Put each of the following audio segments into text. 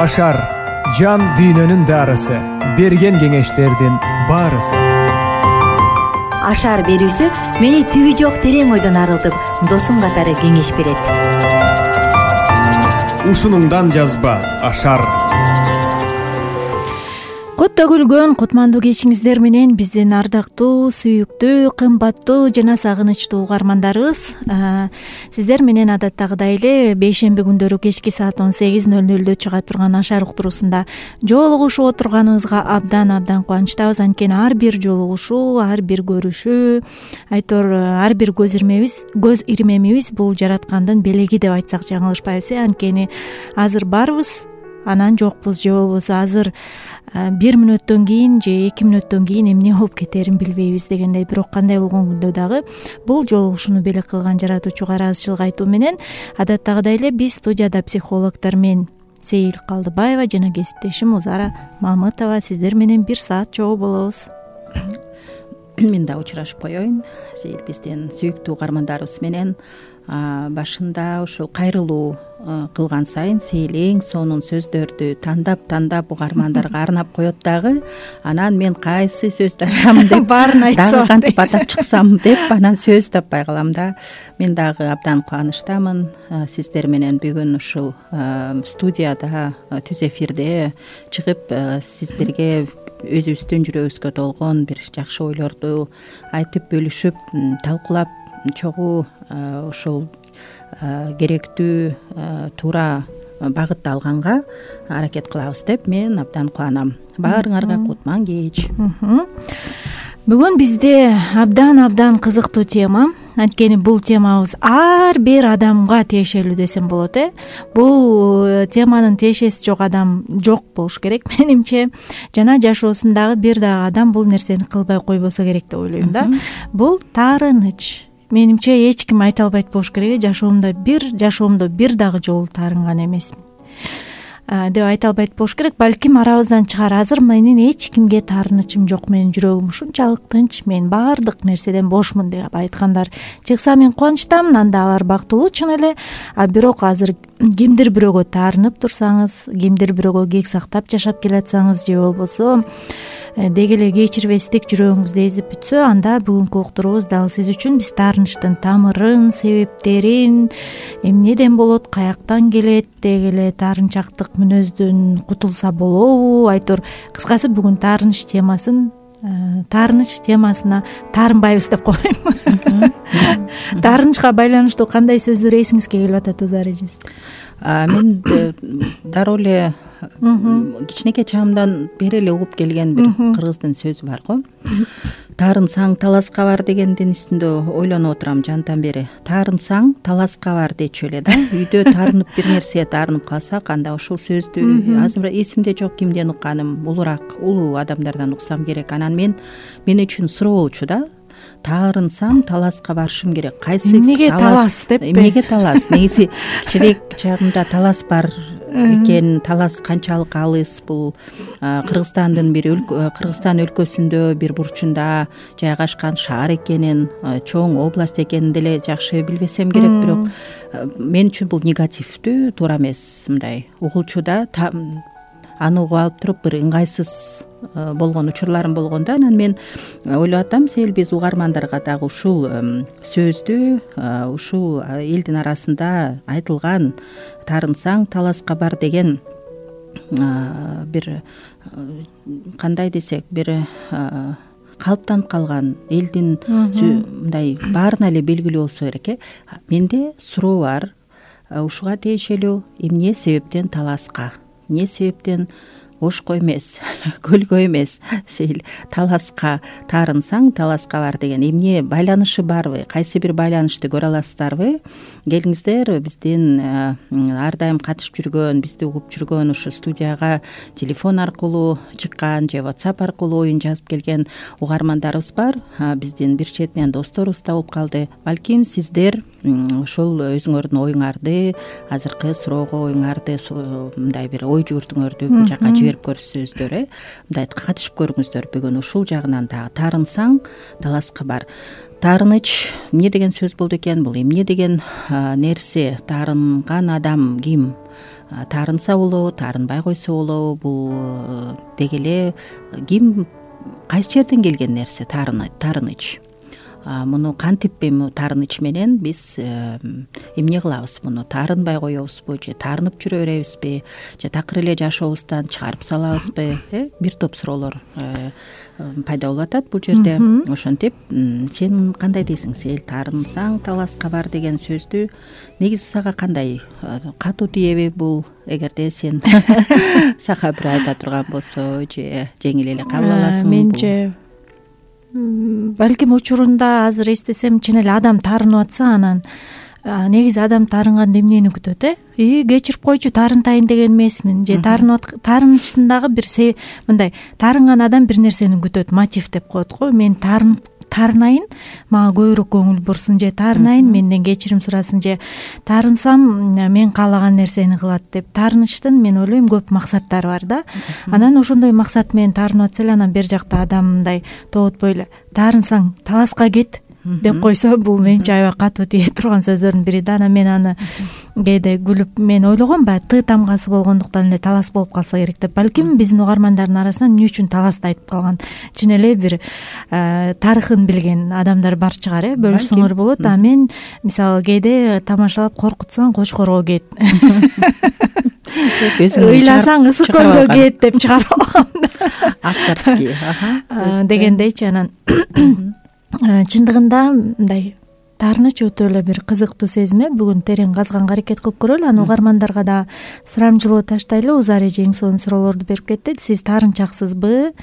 Ашар жан дүйнөнүн дарысы, берген кеңештердин баарысы. Ашар берүүсү мени түбү жок терең ойдон арылтып, досум катары кеңеш берет. Ушунуңдан жазба Ашар. Кутта күлгөн кутмандуу кечиңиздер менен биздин ардактуу, сүйүктүү, кымбаттуу жана сагынычтуу угармандарыбыз. Сиздер менен адаттагыдай эле бейшемби күндөрү кечки саат 18:00 чыга турган Ашар уктуруусунда жолугушуп отурганыбызга абдан кубанычтабыз. Анткени ар бир жолугушуу, ар бир көрүшүү, ар бир көз ирмемибиз бул жараткандын белеги деп айтсак жаңылышпайбыз. Анткени азыр барбыз, анан жокпуз, же болбосо азыр 1 мүнөттөн кийин же 2 мүнөттөн кийин эмне болуп кетерин билбейбиз дегендей. Бирок кандай болгон күндө дагы бул жолугушууну белек кылган жаратуучуга ыраазычылык айтуу менен адаттагыдай эле биз студияда психологдор мен Сейил Калдыбаева жана кесиптешим Узара Мамытова сиздер менен 1 саат чогуу болобуз. Мен да учурашып коеюн. Сейил биздин сүйүктүү угармандарыбыз менен башында ушул кайрылуу кылган сайын Сейил эң сонун сөздөрдү тандап угармандарга арнап коет дагы. Анан мен кайсы сөздү айтам деп баарын айтсам, кантип атап чыксам деп анан сөз таппай калам да. Мен дагы абдан кубанычтамын сиздер менен бүгүн ушул студияда түз эфирде чыгып сиздерге өзүбүздүн жүрөгүбүзгө толгон бир жакшы ойлорду айтып бөлүшүп, талкуулап чогуу ушул керектүү туура багытты алганга аракет кылабыз деп мен абдан кубанам. Баарыңарга кутман кеч. Бүгүн бизде абдан кызыктуу тема. Анткени бул темабыз ар бир адамга тиешелүү десем болот. Бул теманын тиешеси жок адам жок болуш керек менимче. Жана жашоосундагы бир дагы адам бул нерсени кылбай койбосо керек деп ойлойм да. Бул таарыныч. Менимче эч ким айта албайт болуш керек. Жашоомдо бир дагы жолу таарынган эмесмин деп айта албайт болуш керек. Балким арабыздан чыгар. Азыр менин эч кимге таарынычым жок. Менин жүрөгүм ушунчалык тынч, мен баардык нерседен бошмун деп айткандар чыкса мен кубанычтамын. Анда алар бактылуу чын эле. Бирок азыр кимдир бирөөгө таарынып турсаңыз, кимдир бирөөгө кек сактап жашап келатсаңыз же болбосо деги эле кечирбестик жүрөгүңүздө эзип бүтсө, анда бүгүнкү уктуруубуз дал сиз үчүн. Биз таарынычтын тамырын, себептерин, эмнеден болот, каяктан келет, деги эле таарынчактык мүнөздөн кутулса болобу, айтор кыскасы бүгүн таарыныч темасына таарынбайбыз деп коеюн. Таарынычка байланыштуу кандай сөздөр эсиңизге келип атат Узар эжеси? Мен дароо эле кичинекей чагымдан бери эле угуп келген бир кыргыздын сөзү бар го. Таарынсаң таласка бар дегендин үстүндө ойлонуп отурам жантан бери. Таарынсаң таласка бар дечү эле да. Үйдө таарынып бир нерсеге таарынып калсак, анда ушул сөздү азыр эсимде жок кимден укканым, улуу адамдардан уксам керек. Анан мен үчүн суроо болчу да. Таарынсам таласка барышым керек. Кайсы эмнеге талас деппи? Эмнеге талас? Негизи кичирээк чагымда талас бар экен. Талас канчалык алыс? Бул Кыргызстан өлкөсүндө бир бурчунда жайгашкан шаар экенин, чоң область экенин деле жакшы билбесем керек. Бирок мен үчүн бул негативдүү, туура эмес, мындай угулчу да. Аны угуп алып туруп бир ыңгайсыз болгон учурларым болгондо, анан мен ойлоп атам, Сейил биз угармандарга дагы ушул сөздү, ушул элдин арасында айтылган таарынсаң таласка бар деген бир кандай десек, бир калыптанып калган элдин мындай баарына эле белгилүү болсо керек. Менде суроо бар. Ушуга тиешелүү эмне себептен таласка? Эмне себептен ошко эмес, көлгө эмес, Сейил таласка таарынсаң таласка бар деген эмне байланышы барбы? Кайсы бир байланышты көрө аласыздарбы? Келиңиздер, биздин ар дайым катышып жүргөн, бизди угуп жүргөн, ушу студияга телефон аркылуу чыккан же WhatsApp аркылуу оюн жазып келген угармандарыбыз бар. Биздин бир четинен досторубуз да болуп калды. Балким сиздер ушул өзүңөрдүн оюңарды, азыркы суроого оюңарды, мындай бир ой жүгүртүңөрдү бул жака жиберип көрсөңүздөр, мындай катышып көрүңүздөр. Бүгүн ушул жагынан дагы таарынсаң таласка бар. Таарыныч эмне деген сөз болду экен? Бул эмне деген нерсе? Таарынган адам ким? таарынса болобу, таарынбай койсо болобу, бул деги эле ким кайсы жерден келген нерсе таарыныч. Муну кантип эми таарыныч менен биз эмне кылабыз, муну таарынбай коебузбу же таарынып жүрө беребизби же такыр эле жашообуздан чыгарып салабызбы? Бир топ суроолор пайда болуп атат бул жерде. Ошентип сен кандай дейсиң? Сен таарынсаң таласка бар деген сөздү негизи сага кандай катуу тиеби бул? Эгерде сен сага бир айта турган болсо же жеңил эле кабыл аласыңбы? Менче балким учурунда азыр эстесем чын эле адам таарынып атса, анан негизи адам таарынганда эмнени күтөт? Кечирип койчу, таарынтайын деген эмесмин, же таарынычтын дагы бир мындай таарынган адам бир нерсени күтөт, мотив деп коет го. Мен таарынайын, мага көбүрөөк көңүл бурсун, же таарынайын, менден кечирим сурасын, же таарынсам мен каалаган нерсени кылат деп. Таарынычтын мен ойлойм көп максаттары бар да. Анан ошондой максат менен таарынып атса эле, анан бер жакта адам мындай тоотпой эле таласаң таласка кет деп койсо, бул менимче аябай катуу тие турган сөздөрдүн бири да. Анан мен аны кээде күлүп мен ойлогом, баягы тамгасы болгондуктан эле талас болуп калса керек деп. Балким биздин угармандардын арасынан эмне үчүн таласты айтып калган чын эле бир тарыхын билген адамдар бар чыгар, бөлүшсөңөр болот. А мен мисалы кээде тамашалап коркутсаң кочкорго кет, ыйласаң ысык көлгө кет деп чыгарып алгам авторский дегендейчи. Анан чындыгында мындай таарыныч өтө эле бир кызыктуу сезим. Бүгүн терең казганга аракет кылып көрөлү. Анан угармандарга да сурамжылоо таштайлы. Узар эже эң сонун суроолорду берип кетти. Сиз таарынчаксызбы?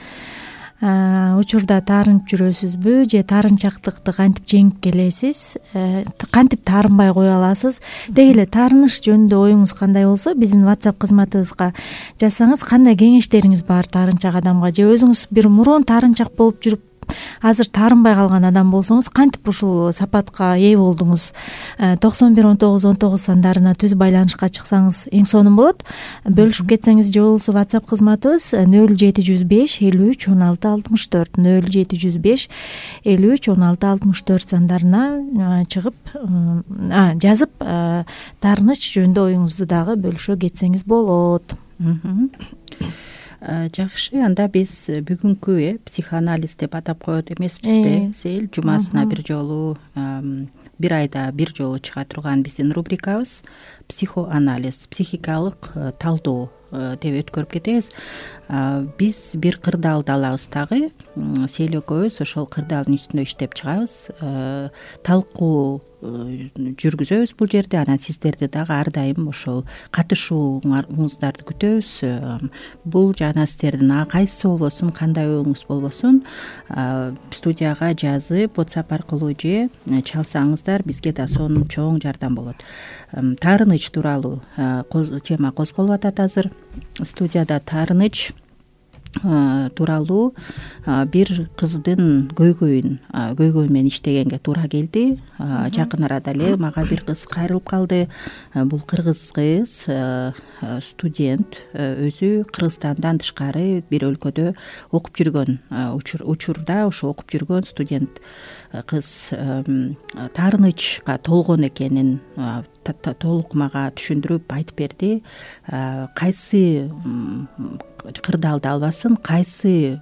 Учурда таарынып жүрөсүзбү? Же таарынчактыкты кантип жеңип келесиз? Кантип таарынбай кое аласыз? Деги эле таарыныч жөнүндө оюңуз кандай болсо, биздин WhatsApp кызматыбызга жазсаңыз, кандай кеңештериңиз бар таарынчак адамга? Же өзүңүз бир мурун таарынчак болуп жүрүп азыр таарынбай калган адам болсоңуз, кантип ушул сапатка ээ болдуңуз? 911919 сандарына түз байланышка чыксаңыз эң сонун болот. Бөлүшүп кетсеңиз же болбосо WhatsApp кызматыбыз 0705 53 16 64 0705 53 16 64 сандарына чыгып жазып таарыныч жөнүндө оюңузду дагы бөлүшө кетсеңиз болот. Жакшы, анда биз бүгүнкү психоанализ деп атап коет эмеспизби? Сел жумасына бир жолу, бир айда бир жолу чыга турган биздин рубрикабыз психоанализ, психикалык талдоо деп өткөрүп кетебиз. Биз бир кырдаалды алабыз, сел экөөбүз ошол кырдаалдын үстүндө иштеп чыгабыз, талкуу жүргүзөбүз бул жерде. Анан сиздерди дагы ар дайым ошол катышууңуздарды күтөбүз. Бул жана сиздердин кайсы болбосун, кандай оюңуз болбосун, студияга жазып WhatsApp аркылуу же чалсаңыздар, бизге да сонун чоң жардам болот. Таарыныч тууралуу тема козголуп атат азыр. Студияда таарыныч тууралуу бир кыздын көйгөйү менен иштегенге туура келди. Жакын арада эле мага бир кыз кайрылып калды. Бул кыргыз кыз, студент, өзү Кыргызстандан тышкары бир өлкөдө окуп жүргөн учурда ошо окуп жүргөн студент кыз таарынычка толгон экенин толук мага түшүндүрүп айтып берди. Кайсы кырдаалды албасын, кайсы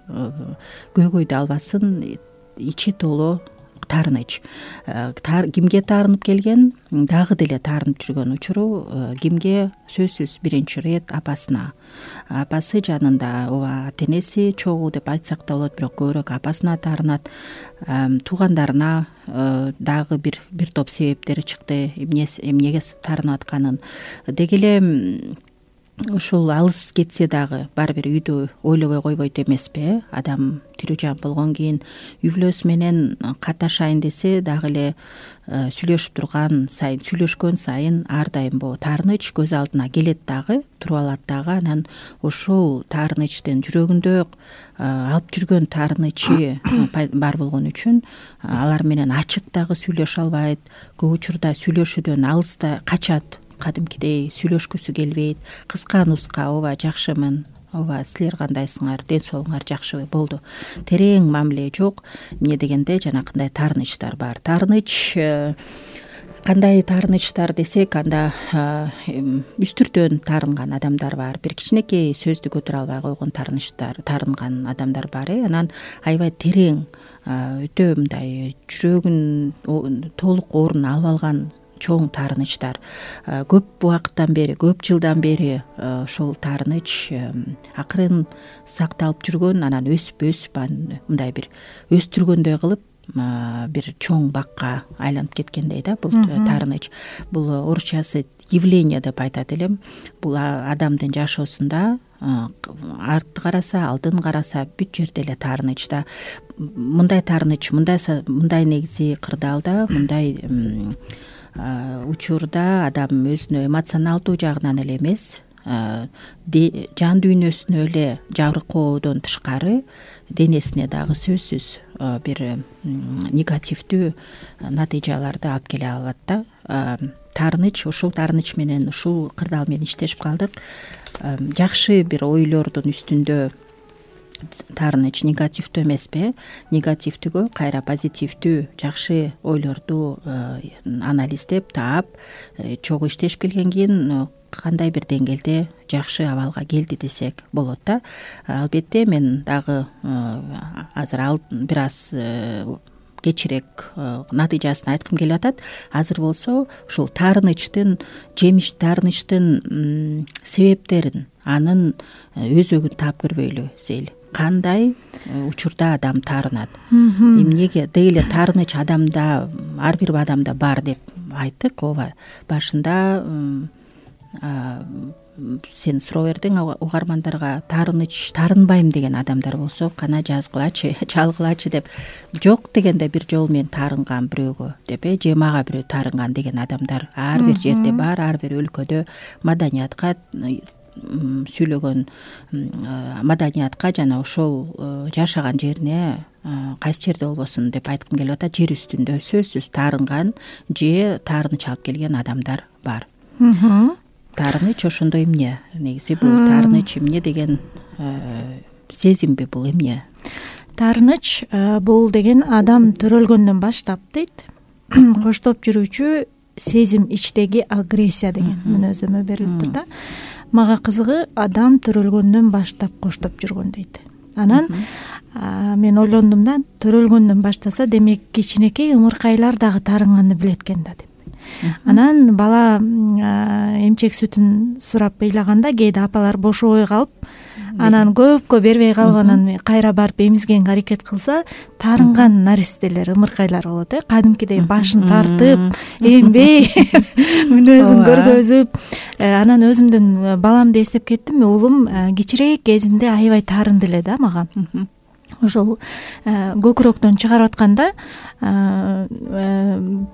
көйгөйдү албасын, ичи толо таарыныч. Кимге таарынып келген? Дагы деле таарынып жүргөн учуру кимге? Сөзсүз биринчи ирет апасына. Апасы жанында, ооба, ата-энеси чогуу деп айтсак да болот, бирок көбүрөөк апасына таарынат. Туугандарына дагы бир топ себептери чыкты, эмнеге таарынып атканын. Деги эле ушул алыс кетсе дагы баары бир үйдү ойлобой койбойт эмеспи? Адам тирүү жан болгон кийин үй-бүлөсү менен каташайын десе дагы эле сүйлөшкөн сайын ар дайым таарыныч көз алдына келет дагы, туруп алат дагы. Анан ошол таарынычтын жүрөгүндө алып жүргөн таарынычы бар болгон үчүн алар менен ачык дагы сүйлөшө албайт. Көп учурда сүйлөшүүдөн алыста качат, кадимкидей сүйлөшкүсү келбейт. Кыска нуска: ооба, жакшымын, ооба, силер кандайсыңар, ден соолуңар жакшыбы, болду. Терең мамиле жок. Эмне дегенде жанакындай таарынычтар бар. Таарыныч кандай таарынычтар десек, анда үстүртөн таарынган адамдар бар, бир кичинекей сөздү көтөрө албай койгон таарынган адамдар бар. Анан аябай терең, өтө мындай жүрөгүн толук орун алып алган чоң таарынычтар, көп убакыттан бери, көп жылдан бери ошол таарыныч акырын сакталып жүргөн, анан өсүп мындай бир өстүргөндөй кылып бир чоң бакка айланып кеткендей да бул таарыныч. Бул орусчасы явление деп айтат элем. Бул адамдын жашоосунда артты караса, алдын караса бүт жерде эле таарыныч да. Мындай таарыныч, мындай негизи кырдаалда, мындай учурда адам өзүнө эмоционалдуу жагынан эле эмес, жан дүйнөсүнө эле жабыркоодон тышкары денесине дагы сөзсүз бир негативдүү натыйжаларды алып келе алат да. Таарыныч, ушул таарыныч менен, ушул кырдаал менен иштешип калдык. Жакшы бир ойлордун үстүндө таарыныч негативдүү эмеспи, негативдүүгө кайра позитивдүү жакшы ойлорду анализдеп таап чогуу иштешип келгенден кийин кандай бир деңгээлде жакшы абалга келди десек болот да. Албетте мен дагы азыр бир аз кечирээк натыйжасын айткым келип атат. Азыр болсо ушул таарынычтын себептерин, анын өзөгүн таап көрбөйлү Зейли. Кандай учурда адам таарынат, эмнеге деги эле таарыныч адамда, ар бир адамда бар деп айттык. Ооба, башында сен суроо бердиң угармандарга, таарынбайм деген адамдар болсо кана жазгылачы, чалгылачы деп. Жок дегенде бир жолу мен таарынган бирөөгө деп, же мага бирөө таарынган деген адамдар ар бир жерде бар, ар бир өлкөдө маданиятка сүйлөгөн, маданиятка жана ошол жашаган жерине кайсы жерде болбосун деп айткым келип атат. Жер үстүндө сөзсүз таарынган же таарыныч алып келген адамдар бар. Таарыныч ошондой эмне? Негизи бул таарыныч эмне деген сезимби, бул эмне? Таарыныч бул деген адам төрөлгөндөн баштап дейт, коштоп жүрүүчү сезим, ичтеги агрессия деген мүнөздөмө берилип тур да. Мага кызыгы, адам төрөлгөндөн баштап коштоп жүргөн дейт. Анан мен ойлондум да, төрөлгөндөн баштаса, демек кичинекей ымыркайлар дагы таарынганды билет экен да деп. Анан бала эмчек сүтүн сурап ыйлаганда кээде апалар бошобой калып, анан көпкө бербей калып, анан кайра барып эмизгенге аракет кылса, таарынган наристелер, ымыркайлар болот. Кадимкидей башын тартып, эмбей, мүнөзүн көргөзүп. Анан өзүмдүн баламды эстеп кеттим. Уулум кичирээк кезинде аябай таарынды эле да мага. Ошол көкүрөктөн чыгарып атканда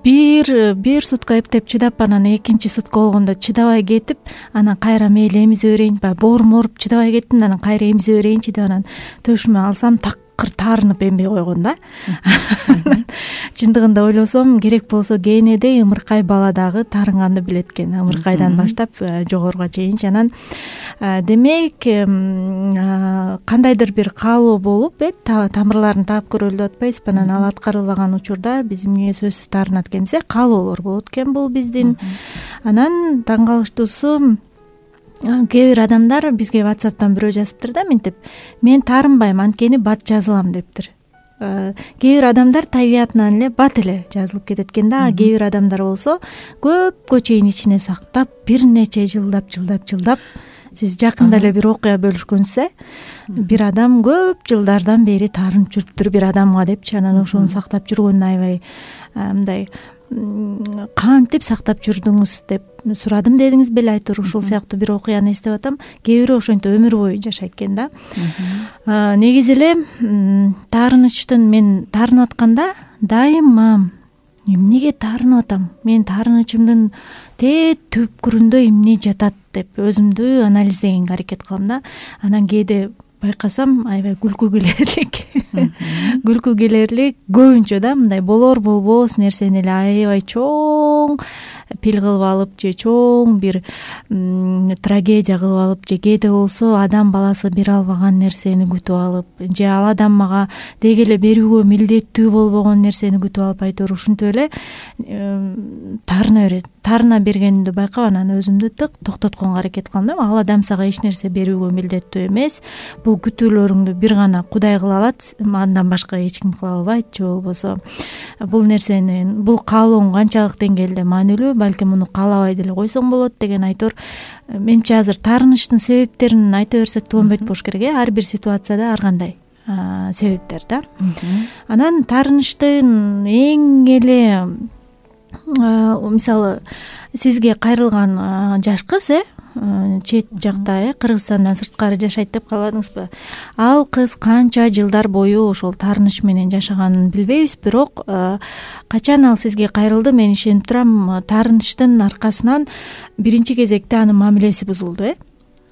бир сутка эптеп чыдап, анан экинчи сутка болгондо чыдабай кетип, анан кайра мейли эмизе берейин, баягы боорум ооруп чыдабай кеттим, анан кайра эмизе берейинчи деп, анан төшүмө алсам такыр таарынып эмбей койгон да. Чындыгында ойлосом, керек болсо кeenеде ымыркай бала дагы таарынганды билет экен, ымыркайдан баштап жогоруга чейинчи. Анан демек кандайдыр бир каалоо болуп, тамырларын таап көрөлү деп атпайсызбы? Анан ал аткарылбаган учурда биз эмнеге сөзсүз таарынат экенбиз? Каалоолор болот экен бул биздин. Анан таң калыштуусу, кээ бир адамдар бизге WhatsApp'тан бирөө жазыптыр да, мынтип: мен таарынбайм, анткени бат жазылам дептир. Кээ бир адамдар табиятынан эле бат эле жазылып кетет экен да. Кээ бир адамдар болсо көпкө чейин ичине сактап, бир нече жылдап сиз жакында эле бир окуя бөлүшкөнсүз, бир адам көп жылдардан бери таарынып жүрүптүр бир адамга депчи. Анан ошону сактап жүргөнүн аябай мындай кантип сактап жүрдүңүз деп сурадым дедиңиз беле, айтор ушул сыяктуу бир окуяны эстеп атам. Кээ бирөө ошентип өмүр бою жашайт экен да. Негизи эле таарынычтын, мен таарынып атканда дайыма эмнеге таарынып атам, мен таарынычымдын түпкүрүндө эмне жатат деп өзүмдү анализдегенге аракет кылам да. Анан кээде байкасам аябай күлкү келерлик күлкү келерлик көбүнчө да мындай болор болбос нерсени эле аябай чоң пил кылып алып же чоң бир трагедия кылып алып же кээде болсо адам баласы бере албаган нерсени күтүп алып же ал адам мага деги эле берүүгө милдеттүү болбогон нерсени күтүп алып айтор ушинтип эле таарына берет. Таарына бергенимди байкап анан өзүмдү токтотконго аракет кылам да. Ал адам сага эч нерсе берүүгө милдеттүү эмес. Бул күтүүлөрүңдү бир гана Кудай кыла алат, андан башка эч ким кыла албайт. Же болбосо бул нерсени, бул каалооң канчалык деңгээлде маанилүү, балким муну каалабай деле койсоң болот деген айтор. Менимче азыр таарынычтын себептерин айта берсек болбойт болуш керек. Ар бир ситуацияда ар кандай себептер да. Анан таарынычтын эң эле мисалы сизге кайрылган жаш кыз чет жакта Кыргызстандан сырткары жашайт деп калбадыңызбы? Ал кыз канча жылдар бою ошол таарыныч менен жашаганын билбейбиз, бирок качан ал сизге кайрылды, мен ишенип турам, таарынычтын аркасынан биринчи кезекте анын мамилеси бузулду.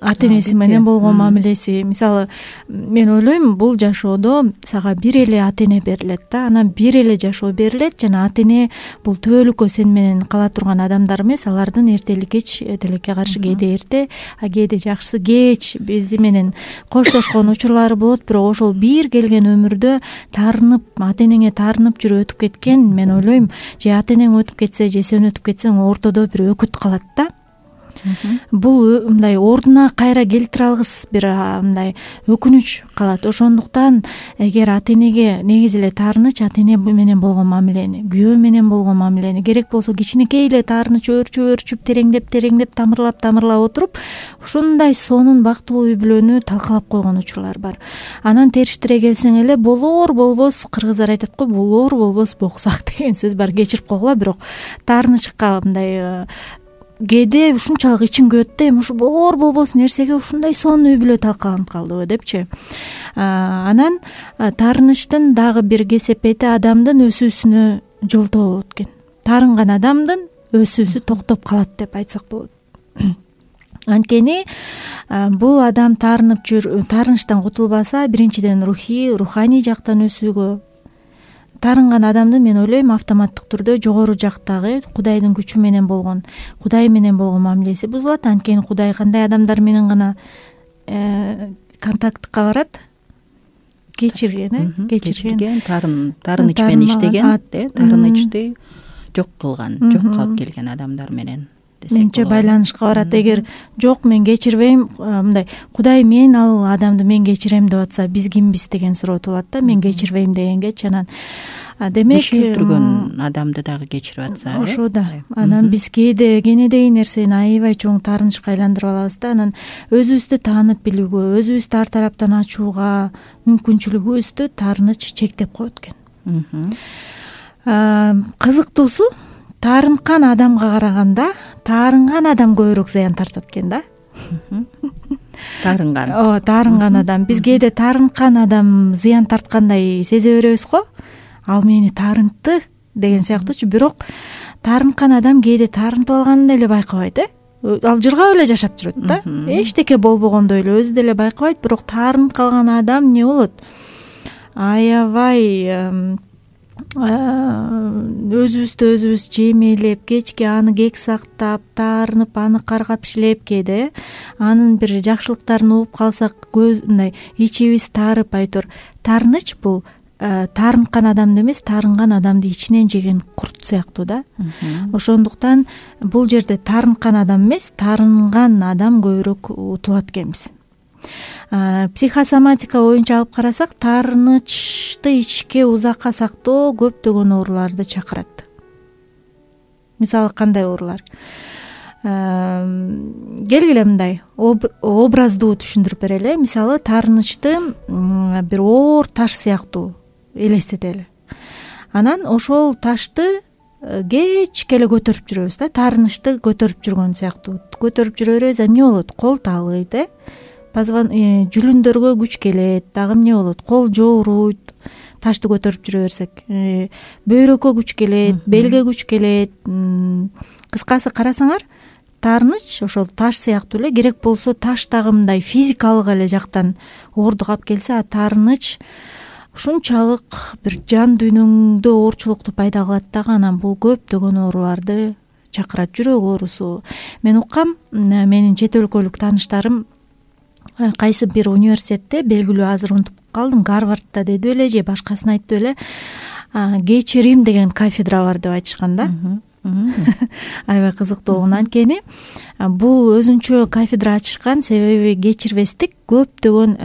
Ата энеси менен болгон мамилеси. Мисалы мен ойлойм, бул жашоодо сага бир эле ата эне берилет да, анан бир эле жашоо берилет жана ата эне бул түбөлүккө сен менен кала турган адамдар эмес, алардын эртели кеч тилекке каршы кээде эрте, кээде жакшысы кеч бизди менен коштошкон учурлары болот, бирок ошол бир келген өмүрдө таарынып, ата энеңе таарынып жүрүп өтүп кеткен, мен ойлойм, же ата энең өтүп кетсе, же сен өтүп кетсең, ортодо бир өкүт калат да. Бул мындай ордуна кайра келтире алгыс бир мындай өкүнүч калат. Ошондуктан эгер ата энеге негизи эле таарыныч, ата эне менен болгон мамилени, күйөө менен болгон мамилени, керек болсо кичинекей эле таарыныч өөрчүп тереңдеп тамырлап отуруп, ушундай сонун бактылуу үй бүлөнү талкалап койгон учурлар бар. Анан териштире келсең эле болор болбос, кыргыздар айтат го, болор болбос боксак деген сөз бар, кечирип койгула, бирок таарынычка мындай кээде ушунчалык ичиң күйөт да, эми ушу болор болбос нерсеге ушундай сонун үй бүлө талкаланып калдыбы депчи. Анан таарынычтын дагы бир кесепети адамдын өсүүсүнө жолтоо болот экен. Таарынган адамдын өсүүсү токтоп калат деп айтсак болот. Анткени бул адам таарынычтан кутулбаса, биринчиден руханий жактан өсүүгө, таарынган адамды мен ойлойм автоматтык түрдө жогору жактагы Кудайдын күчү менен болгон, Кудай менен болгон мамилеси бузулат. Анткени Кудай кандай адамдар менен гана контактка барат? Кечирген, таарыныч менен иштеген, таарынычты жок кылган, жокко алып келген адамдар менен. Менимче байланышка барат. Эгер жок, мен кечирбейм, мындай Кудай мен ал адамды мен кечирем деп атса, биз кимбиз деген суроо туулат да, мен кечирбейм дегенгечи. Анан демек өчүргөн адамды дагы кечирип атса, ошо да. Анан биз кенедей нерсени аябай чоң таарынычка айландырып алабыз да. Анан өзүбүздү таанып билүүгө, өзүбүздү ар тараптан ачууга мүмкүнчүлүгүбүздү таарыныч чектеп коет экен. Кызыктуусу, таарынткан адамга караганда таарынган адам көбүрөөк зыян тартат экен да. Таарынган адам. Биз кээде таарынткан адам зыян тарткандай сезе беребиз го. Ал мени таарынтты деген сыяктуучу. Бирок таарынткан адам кээде таарынтып алганын деле байкабайт. Ал жыргап эле жашап жүрөт да. Эчтеке болбогондой эле өзү деле байкабайт, бирок таарынып калган адам эмне болот? Аябай өзүбүз жемелеп, кечке аны кек сактап, таарынып, аны каргап иштеп, кээде анын бир жакшылыктарын угуп калсак, мындай ичибиз таарып айтор. Таарыныч бул таарынткан адамды эмес, таарынган адамды ичинен жеген курт сыяктуу да. Ошондуктан бул жерде таарынткан адам эмес, таарынган адам көбүрөөк утулат экенбиз. Психосоматика боюнча алып карасак, таарынычты ичке узакка сактоо көптөгөн ооруларды чакырат. Мисалы кандай оорулар? Келгиле мындай образдуу түшүндүрүп берели. Мисалы таарынычты бир оор таш сыяктуу элестетели. Анан ошол ташты кечке эле көтөрүп жүрөбүз да, таарынычты көтөрүп жүргөн сыяктуу. Көтөрүп жүрө беребиз, эмне болот? Кол таалыйт, жүлүндөргө күч келет, дагы эмне болот? Кол жооруйт, ташты көтөрүп жүрө берсек. Бөйрөккө күч келет, белге күч келет. Кыскасы карасаңар, таарыныч ошол таш сыяктуу эле, керек болсо таш дагы мындай физикалык эле жактан оорду кап келсе, а таарыныч ушунчалык бир жан дүйнөңдө оорчулукту пайда кылат дагы, анан бул көптөгөн ооруларды чакырат, жүрөк оорусу. Мен уккам, менин чет өлкөлүк тааныштарым кайсы бир университетте, белгилүү азыр унутуп калдым, Гарвардда деди беле же башкасын айтты беле, кечирим деген кафедра бар деп айтышкан да. Аябай кызыктуу. Анткени бул өзүнчө кафедра ачышкан, себеби кечирбестик көптөгөн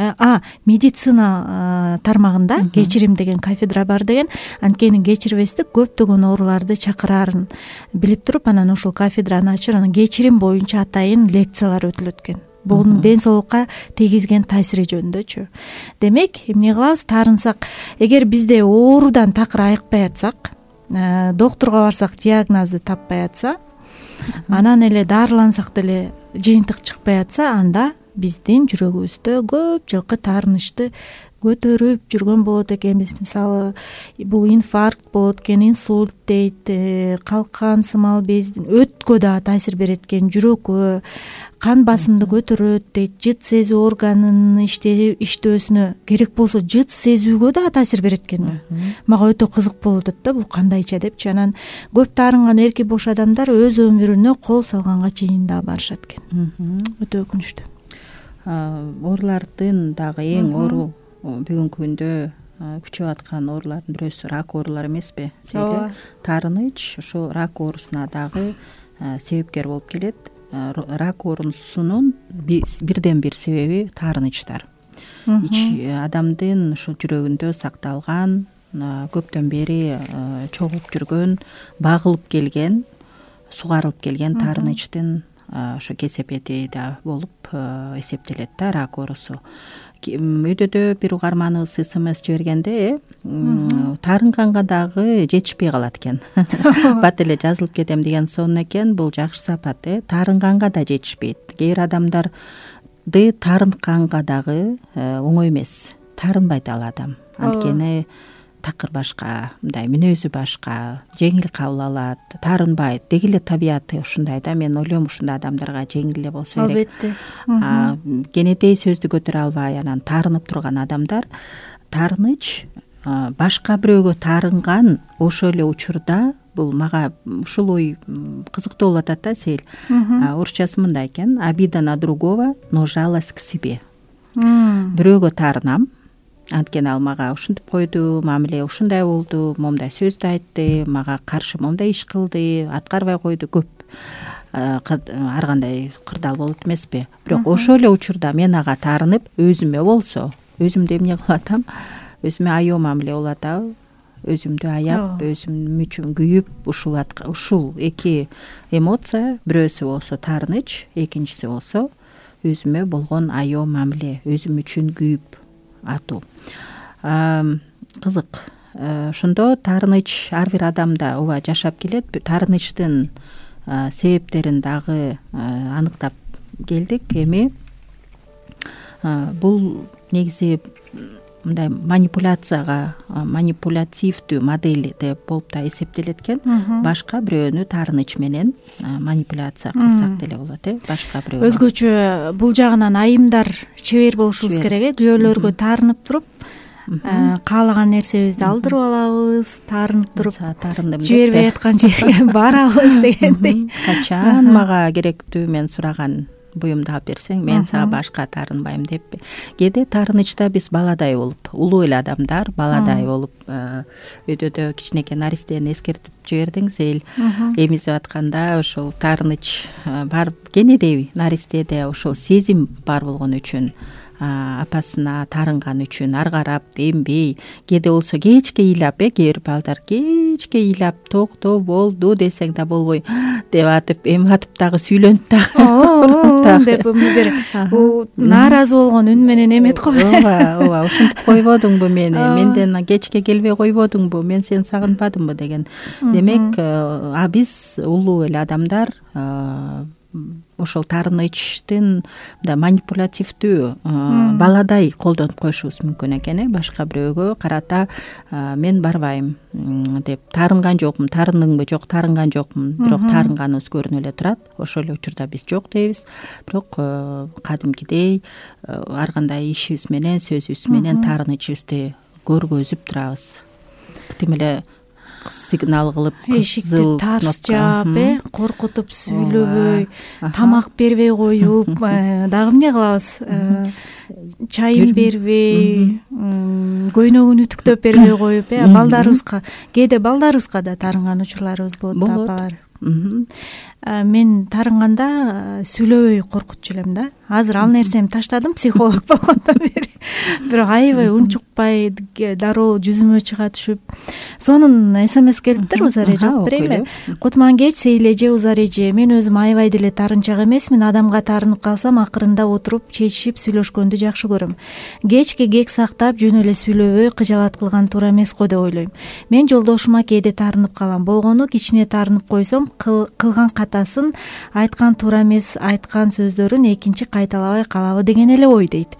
медицина тармагында кечирим деген кафедра бар деген. Анткени кечирбестик көптөгөн ооруларды чакырарын билип туруп, анан ошол кафедраны ачып, анан кечирим боюнча атайын лекциялар өтүлөт экен. Бунун ден соолукка тийгизген таасири жөнүндөчү. Демек, эмне кылабыз? Таарынсак, эгер бизде оорудан такыр айыкпай атсак, доктурга барсак диагнозду таппай атса, анан эле дарылансак деле жыйынтык чыкпай атса, анда биздин жүрөгүбүздө көп жылкы таарынычты көтөрүп жүргөн болот экенбиз. Мисалы, бул инфаркт болот экен, инсульт дейт, калкан сымал бездин өткө дагы таасир берет экен, жүрөккө, кан басымды көтөрөт дейт, жыт сезүү органынын иштөөсүнө, керек болсо жыт сезүүгө дагы таасир берет экен. Мага өтө кызык болуп атат да, бул кандайча депчи. Анан көп таарынган эрки бош адамдар өз өмүрүнө кол салганга чейин дагы барышат экен. Өтө өкүнүчтүү. Оорулардын дагы эң оору бүгүнкү күндө күчөп аткан оорулардын бирөөсү рак оорулары эмеспи? Себеби таарыныч ошо рак оорусуна дагы себепкер болуп келет. Рак оорусунун бирден бир себеби таарынычтар. Адамдын ушул жүрөгүндө сакталган, көптөн бери чогулуп жүргөн, багылып келген, сугарылып келген таарынычтын ошо кесепети да болуп эсептелет да рак оорусу. Өйдөдө бир угарманыбыз СМС жибергенде таарынганга дагы жетишпей калат экен. Бат эле жазылып кетем деген сонун экен. Бул жакшы сапат. Таарынганга да жетишпейт. Кээ бир адамдарды таарынганга дагы оңой эмес. Таарынбайт ал адам. Анткени такыр башка, мындай мүнөзү башка, жеңил кабыл алат, таарынбайт. Деги эле табияты ушундай да. Мен ойлойм, ушундай адамдарга жеңил эле болсо керек. Албетте. Кенетей сөздү көтөрө албай анан таарынып турган адамдар, таарыныч башка бирөөгө таарынган ошол эле учурда, бул мага ушул ой кызыктуу болуп атат да, Сейил. Орусчасы мындай экен: обида на другого, но жалость к себе. Бирөөгө таарынам, анткени ал мага ушинтип койду, мамиле ушундай болду, момундай сөздү айтты, мага каршы момундай иш кылды, аткарбай койду, көп ар кандай кырдаал болот эмеспи? Бирок ошол эле учурда мен ага таарынып, өзүмө болсо, өзүмдү эмне кылып атам? Өзүмө аяоо мамиле болуп атабы? Өзүмдү аяп, өзүм үчүн күйүп, ушул эки эмоция, бирөөсү болсо таарыныч, экинчиси болсо өзүмө болгон аяоо мамиле, өзүм үчүн күйүп атуу. Кызык. Ошондо таарыныч ар бир адамда ооба жашап келет. Таарынычтын себептерин дагы аныктап келдик. Эми бул негизи мындай манипулятивдүү модель деп болуп да эсептелет экен. Башка бирөөнү таарыныч менен манипуляция кылсак деле болот, башка бирөө. Өзгөчө бул жагынан айымдар чебер болушубуз керек, күйөөлөргө таарынып туруп, каалаган нерсебизди алдырып алабыз, таарынып туруп, жибербей аткан жерге барабыз дегендей. Качан мага керектүү мен сураган буюмду алып берсең, мен сага башка таарынбайм деппи. Кээде таарынычта биз баладай болуп, улуу эле адамдар баладай болуп, өйдөдө кичинекей наристени эскертип жибердиң, Сейил. Эмизип атканда ошол таарыныч бар, кенедей наристеде ошол сезим бар болгон үчүн, апасына таарынган үчүн ары карап эмбей, кээде болсо кечке ыйлап, кээ бир балдар кечке ыйлап, токто болду десең да болбой деп атып, эми атып дагы сүйлөнүп дагы деп бир нааразы болгон үн менен эметип койбойбу? Ооба, ушинтип койбодуңбу мени? Менден кечке келбей койбодуңбу? Мен сени сагынбадымбы деген. Демек, биз улуу эле адамдар ошол таарынычтын мындай манипулятивдүү баладай колдонуп коюшубуз мүмкүн экен. Башка бирөөгө карата мен барбайм деп таарынган жокмун, таарындыңбы, жок таарынган жокмун, бирок таарынганыбыз көрүнүп эле турат. Ошол эле учурда биз жок дейбиз, бирок кадимкидей ар кандай ишибиз менен, сөзүбүз менен таарынычыбызды көргөзүп турабыз. Тим эле сигнал кылып, эшикти тарс жаап, коркутуп сүйлөбөй, тамак бербей коюп, дагы эмне кылабыз? Чайын бербей, көйнөгүн үтүктөп бербей коюп, балдарыбызга, кээде балдарыбызга да таарынган учурларыбыз болот, апалар. Мен таарынганда сүйлөбөй коркутчу элем да. Азыр ал нерсени таштадым психолог болгондон бери. Бирок аябай унчукпай дароо жүзүмө чыга түшүп, сонун СМС келиптир. Узар жооп берейинби? Кутман кеч Сейил эже, Узар эже. Мен өзүм аябай деле таарынчак эмесмин. Адамга таарынып калсам, акырында отуруп чечишип сүйлөшкөндү жакшы көрөм. Кечке кек сактап, жөн эле сүйлөбөй кыжалат кылган туура эмес го деп ойлойм. Мен жолдошума кээде таарынып калам. Болгону кичине таарынып койсом, кылган катасын, айткан туура эмес айткан сөздөрүн экинчи кайталабай калабы деген эле ой дейт.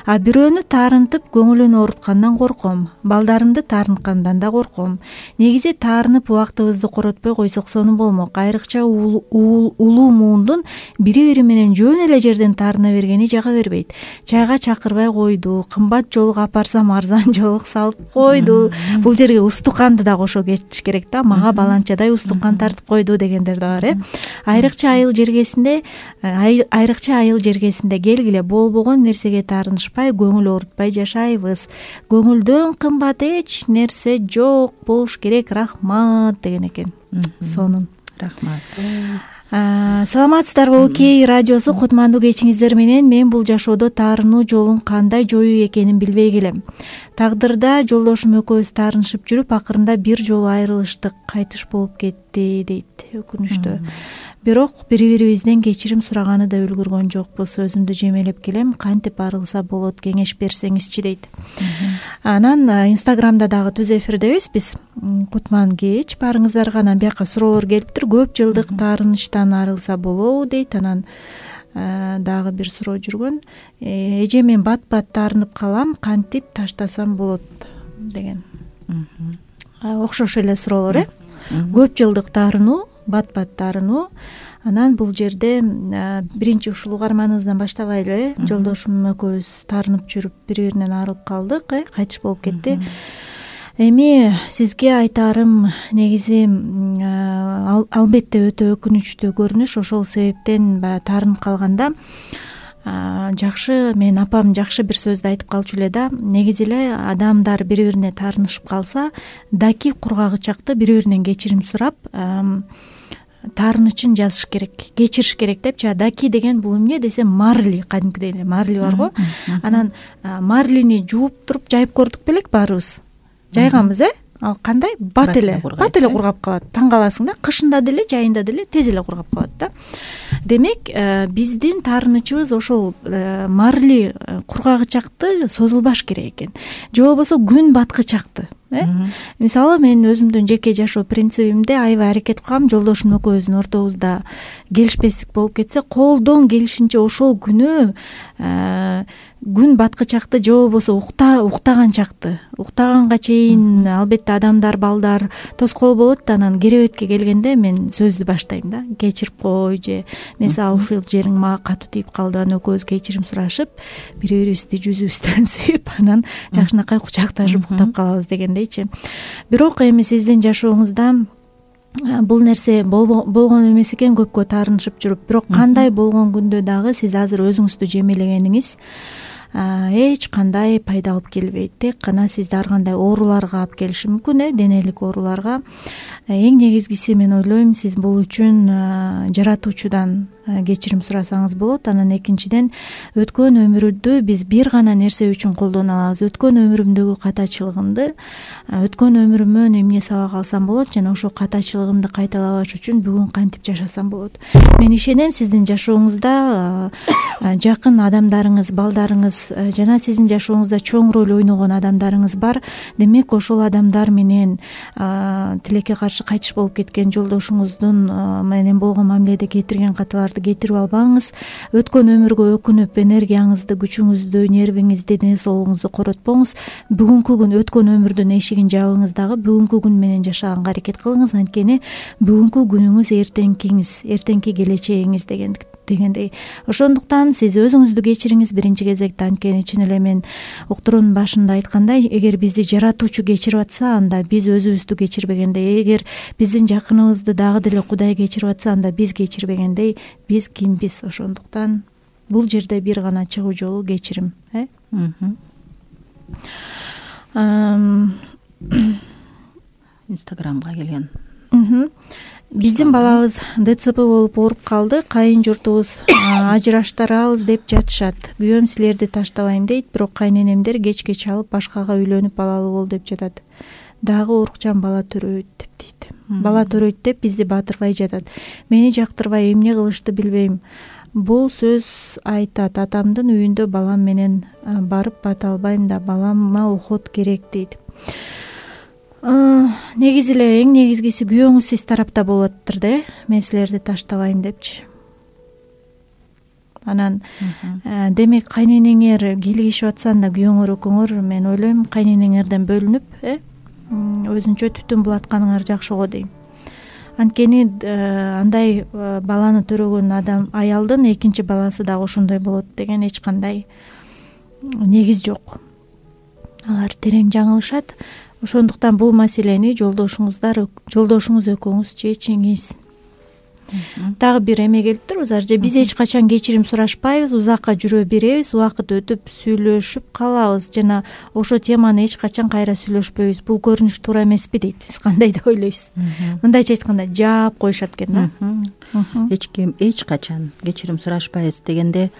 А бирөөнү таарынтып көңүлүн ооруткандан корком. Балдарымды таарынткандан да корком. Негизи таарынып убактыбызды коротпой койсок сонун болмок. Айрыкча улуу муундун бири-бири менен жөн эле жерден таарына бергени жага бербейт. Чайга чакырбай койду, кымбат жолуга апарсам арзан жолук салып койду. Бул жерге устуканды да кошо кетиш керек да. Мага баланчадай устукан тартып койду дегендер да бар. Айрыкча айыл жергесинде келгиле болбогон нерсеге таарынышпай, көңүл оорутпай жашайбыз. Көңүлдөн кымбат эч нерсе жок болуш керек. Рахмат деген экен. Сонун. Рахмат. Саламатсыздарбы? Окей радиосу кутмандуу кечиңиздер менен. Мен бул жашоодо таарынуу жолун кандай жоюу экенин билбей келем. Тагдырда жолдошум экөөбүз таарынышып жүрүп, акырында бир жолу айрылыштык, кайтыш болуп кетти дейт. Өкүнүчтүү. Бирок бири-бирибизден кечирим сураганы да үлгүргөн жокпуз. Өзүмдү жемелеп келем. Кантип арылса болот, кеңеш берсеңизчи дейт. Анан Инстаграмда дагы түз эфирдебиз биз. Кутман кеч барыңыздарга анан бияка суроолор келиптир. Көп жылдык таарынычтан арылса болобу дейт. Анан дагы бир суроо жүргөн. Эже, мен бат-бат таарынып калам, кантип таштасам болот деген. Окшош эле суроолор, Көп жылдык таарынуу, бат-бат таарынуу. Анан бул жерде биринчи ушул угарманыбыздан баштабайлы, жолдошум экөөбүз таарынып жүрүп бири-биринен арылып калдык, кайтыш болуп кетти. Эми сизге айтаарым, негизи албетте өтө өкүнүчтүү көрүнүш. Ошол себептен баягы таарынып калганда жакшы, мен апам жакшы бир сөздү айтып калчу эле да. Негизи эле адамдар бири-бирине таарынышып калса, даки кургагычакты бири-биринен кечирим сурап, таарынычын жазыш керек, кечириш керек депчи. Даки деген бул эмне десем, марли, кадимкидей эле марли бар го. Анан марлини жууп туруп жайып көрдүк белек баарыбыз. Жайганбыз, ал кандай? Бат эле кургап калат. Таң каласың да, кышында деле, жайында деле тез эле кургап калат да. Демек, биздин таарынычыбыз ошол марли кургагычакты созулбаш керек экен. Же болбосо күн баткычакты. Мисалы, мен өзүмдүн жеке жашоо принцибимде аябай аракет кылам. Жолдошум экөөбүздүн ортобузда келишпестик болуп кетсе, колдон келишинче ошол күнү күн баткычакты же болбосо уктаган чакты, уктаганга чейин албетте адамдар, балдар тоскоол болот да. Анан керебетке келгенде мен сөздү баштайм да. Кечирип кой, же мен сага ушул жериң мага катуу тийип калды. Анан экөөбүз кечирим сурашып, бири-бирибизди жүзүбүздөн сүйүп, анан жакшынакай кучакташып уктап калабыз дегендейчи. Бирок эми сиздин жашооңузда бул нерсе болгон эмес экен, көпкө таарынышып жүрүп. Бирок кандай болгон күндө дагы сиз азыр өзүңүздү жемелегениңиз эч кандай пайда алып келбейт. Тек гана сизди ар кандай ооруларга алып келиши мүмкүн, денелик ооруларга. Эң негизгиси, мен ойлойм, сиз бул үчүн жаратуучудан кечирим сурасаңыз болот. Анан экинчиден, өткөн өмүрдү биз бир гана нерсе үчүн колдоно алабыз. Өткөн өмүрүмдөгү катачылыгымды, өткөн өмүрүмөн эмне сабак алсам болот, жана ошол катачылыгымды кайталабаш үчүн бүгүн кантип жашасам болот. Мен ишенем, сиздин жашооңузда жакын адамдарыңыз, балдарыңыз адамдарыңыз жана сиздин жашооңузда чоң роль ойногон адамдарыңыз бар. Демек ошол адамдар менен тилекке каршы кайтыш болуп кеткен жолдошуңуздун менен болгон мамиледе кетирген каталарды кетирип албаңыз. Өткөн өмүргө өкүнүп энергияңызды, күчүңүздү, нервиңизди, ден соолугуңузду коротпоңуз. Бүгүнкү күн өткөн өмүрдүн эшигин жабыңыз дагы бүгүнкү күн менен жашаганга аракет кылыңыз. Анткени бүгүнкү күнүңүз эртеңкиңиз, эртеңки келечегиңиз дегендей. Ошондуктан сиз өзүңүздү кечириңиз биринчи кезекте. Анткени чын эле мен уктуруунун башында айткандай, эгер бизди жаратуучу кечирип атса, анда биз өзүбүздү кечирбегендей. Эгер биздин жакыныбызды дагы деле Кудай кечирип атса, анда биз кечирбегендей. Биз кимбиз? Ошондуктан бул жерде бир гана чыгуу жолу кечирим. Инстаграмга келген. Биздин балабыз ДЦП болуп ооруп калды. Кайын журтубуз ажыраштырабыз деп жатышат. Күйөөм силерди таштабайм дейт, бирок кайненемдер кечке чалып башкага үйлөнүп балалуу бол деп жатат. Дагы урукчан бала төрөйт деп дейт. Бала төрөйт деп бизди батырбай жатат. Мени жактырбай эмне кылышты билбейм. Бул сөз айтат. Атамдын үйүндө балам менен барып бата албайм да, балама уход керек дейт. Негизи эле эң негизгиси күйөөңүз сиз тарапта болуп атыптыр да. Мен силерди таштабайм депчи. Анан демек кайненеңер келишип атса, анда күйөөңөр экөөңөр, мен ойлойм, кайненеңерден бөлүнүп, өзүнчө түтүн булатканыңар жакшы го дейм. Анткени андай баланы төрөгөн адам аялдын экинчи баласы дагы ошондой болот деген эч кандай негиз жок. Алар терең жаңылышат. Ошондуктан бул маселени жолдошуңуз экөөңүз чечиңиз. Дагы бир эме келиптир, же биз эч качан кечирим сурашпайбыз, узакка жүрө беребиз, убакыт өтүп сүйлөшүп калабыз жана ошо теманы эч качан кайра сүйлөшпөйбүз. Бул көрүнүш туура эмеспи дейт. Сиз кандай деп ойлойсуз? Мындайча айтканда жаап коюшат экен да. Эч ким эч качан кечирим сурашпайбыз дегенде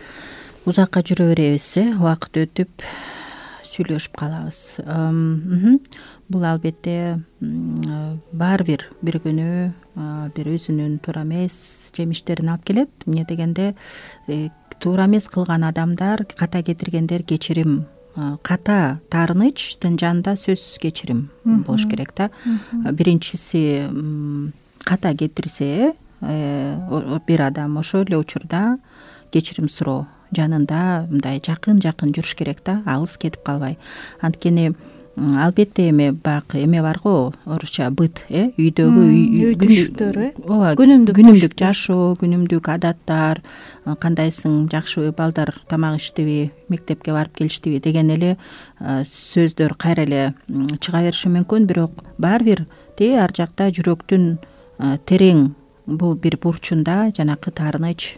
узакка жүрө беребиз, убакыт өтүп сүйлөшүп калабыз. Бул албетте баары бир күнү бир өзүнүн туура эмес жемиштерин алып келет. Эмне дегенде туура эмес кылган адамдар, ката кетиргендер кечирим, ката таарынычтын жанында сөзсүз кечирим болуш керек да. Биринчиси ката кетирсе бир адам, ошол эле учурда кечирим суроо жанында мындай жакын жүрүш керек да, алыс кетип калбай. Анткени албетте эме баягы эме бар го, орусча быт, үйдөгү үй күчтөр, күнүмдүк жашоо, күнүмдүк адаттар, кандайсың, жакшыбы, балдар тамак иштиби, мектепке барып келиштиби деген эле сөздөр кайра эле чыга бериши мүмкүн. Бирок баары бир ар жакта жүрөктүн терең бул бир бурчунда жанакы таарыныч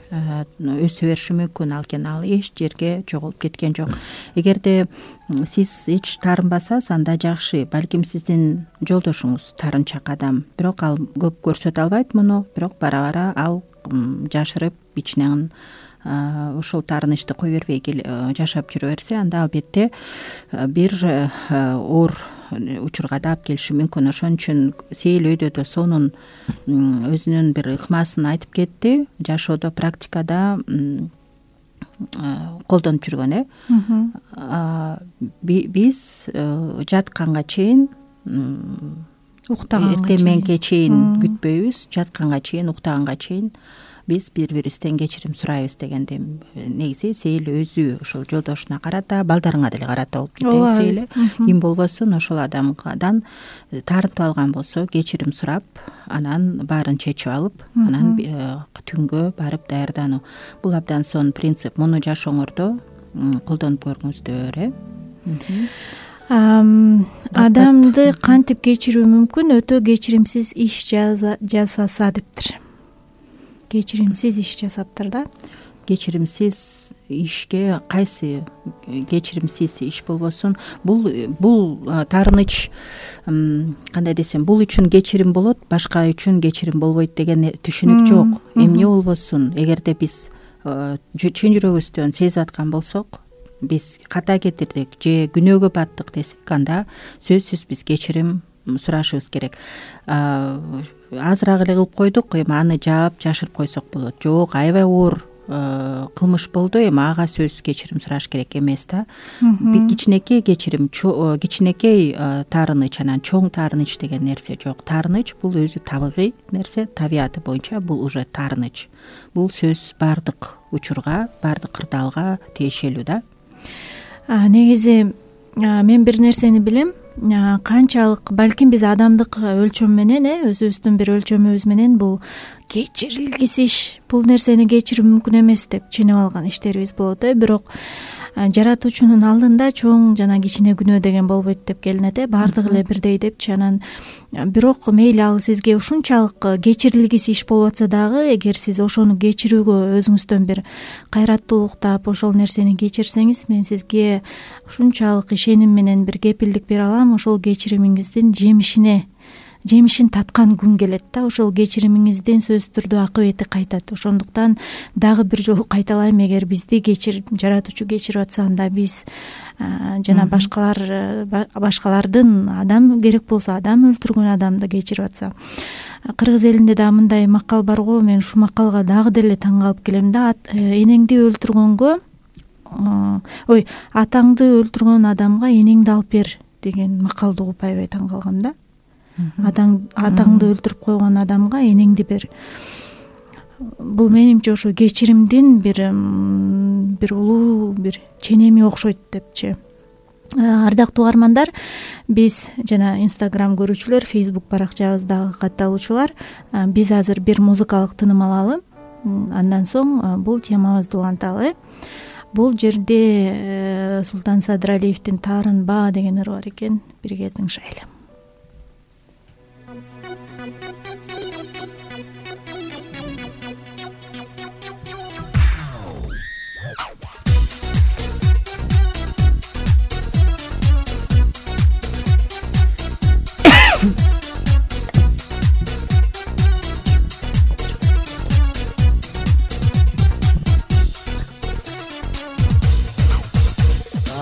өсө бериши мүмкүн. Ал эч жерге жоголуп кеткен жок. Эгерде сиз эч таарынбасаңыз, анда жакшы. Балким сиздин жолдошуңуз таарынчак адам, бирок ал көп көрсөтө албайт муну, бирок бара ал жашырып ичинен ошол таарынычты кой бербей жашап жүрө берсе, анда албетте бир оор учурга да алып келиши мүмкүн. Ошон үчүн Сейил өйдө сонун өзүнүн бир ыкмасын айтып кетти. Жашоодо, практикада колдонуп жүргөн. Биз жатканга чейин, эртең мененке чейин күтпөйбүз, жатканга чейин, уктаганга чейин биз бири-бирибизден кечирим сурайбыз дегенде, негизи Сейил өзү ошол жолдошуна карата, балдарыңа деле карата болуп кетет. Сейил ким болбосун ошол адамдан таарынтып алган болсо, кечирим сурап, анан баарын чечип алып, анан түнгө барып даярдануу. Бул абдан сонун принцип. Муну жашооңордо колдонуп көрүңүздөр. Адамды кантип кечирүү мүмкүн? Өтө кечиримсиз иш жасаса дептир. Кечиримсиз иш жасаптыр да. Кечиримсиз ишке кайсы кечиримсиз иш болбосун, бул таарыныч, кандай десем, бул үчүн кечирим болот, башка үчүн кечирим болбойт деген түшүнүк жок. Эмне болбосун, эгерде биз чын жүрөгүбүздөн сезип аткан болсок, биз ката кетирдик же күнөөгө баттык десек, анда сөзсүз биз кечирим сурашыбыз керек. Азыраак эле кылып койдук, эми аны жаап жашырып койсок болот. Жок, аябай оор кылмыш болду, эми ага сөзсүз кечирим сураш керек эмес да. Бир кичинекей кечирим, кичинекей таарыныч, анан чоң таарыныч деген нерсе жок. Таарыныч бул өзү табигый нерсе, табияты боюнча бул уже таарыныч. Бул сөз баардык учурга, баардык кырдаалга тиешелүү да. Негизи мен бир нерсени билем, канчалык балким биз адамдык өлчөм менен, өзүбүздүн бир өлчөмүбүз менен бул кечирилгис иш, бул нерсени кечирүү мүмкүн эмес деп ченеп алган иштерибиз болот. Бирок жаратуучунун алдында чоң жана кичине күнөө деген болбойт деп келинет, баардыгы эле бирдей депчи. Анан бирок мейли ал сизге ушунчалык кечирилгис иш болуп атса дагы, эгер сиз ошону кечирүүгө өзүңүздөн бир кайраттуулук таап ошол нерсени кечирсеңиз, мен сизге ушунчалык ишеним менен бир кепилдик бере алам, ошол кечиримиңиздин жемишин таткан күн келет да. Ошол кечиримиңиздин сөзсүз түрдө акыбети кайтат. Ошондуктан дагы бир жолу кайталайм, эгер бизди жаратуучу кечирип атса, анда биз жана башкалардын, адам керек болсо адам өлтүргөн адамды кечирип атса. Кыргыз элинде да мындай макал бар го, мен ушул макалга дагы деле таң калып келем да. Энеңди өлтүргөнгө, атаңды өлтүргөн адамга энеңди алып бер деген макалды угуп аябай таң калгам да. Атаңды өлтүрүп койгон адамга энеңди бер. Бул менимче ошо кечиримдин бир улуу бир ченеми окшойт депчи. Ардактуу угармандар, биз жана Instagram көрүүчүлөр, Facebook баракчабыздагы катталуучулар, биз азыр бир музыкалык тыным алалы. Андан соң бул темабызды уланталы. Бул жерде Султан Садыралиевдин Таарынба деген ыры бар экен. Бирге тыңшайлы.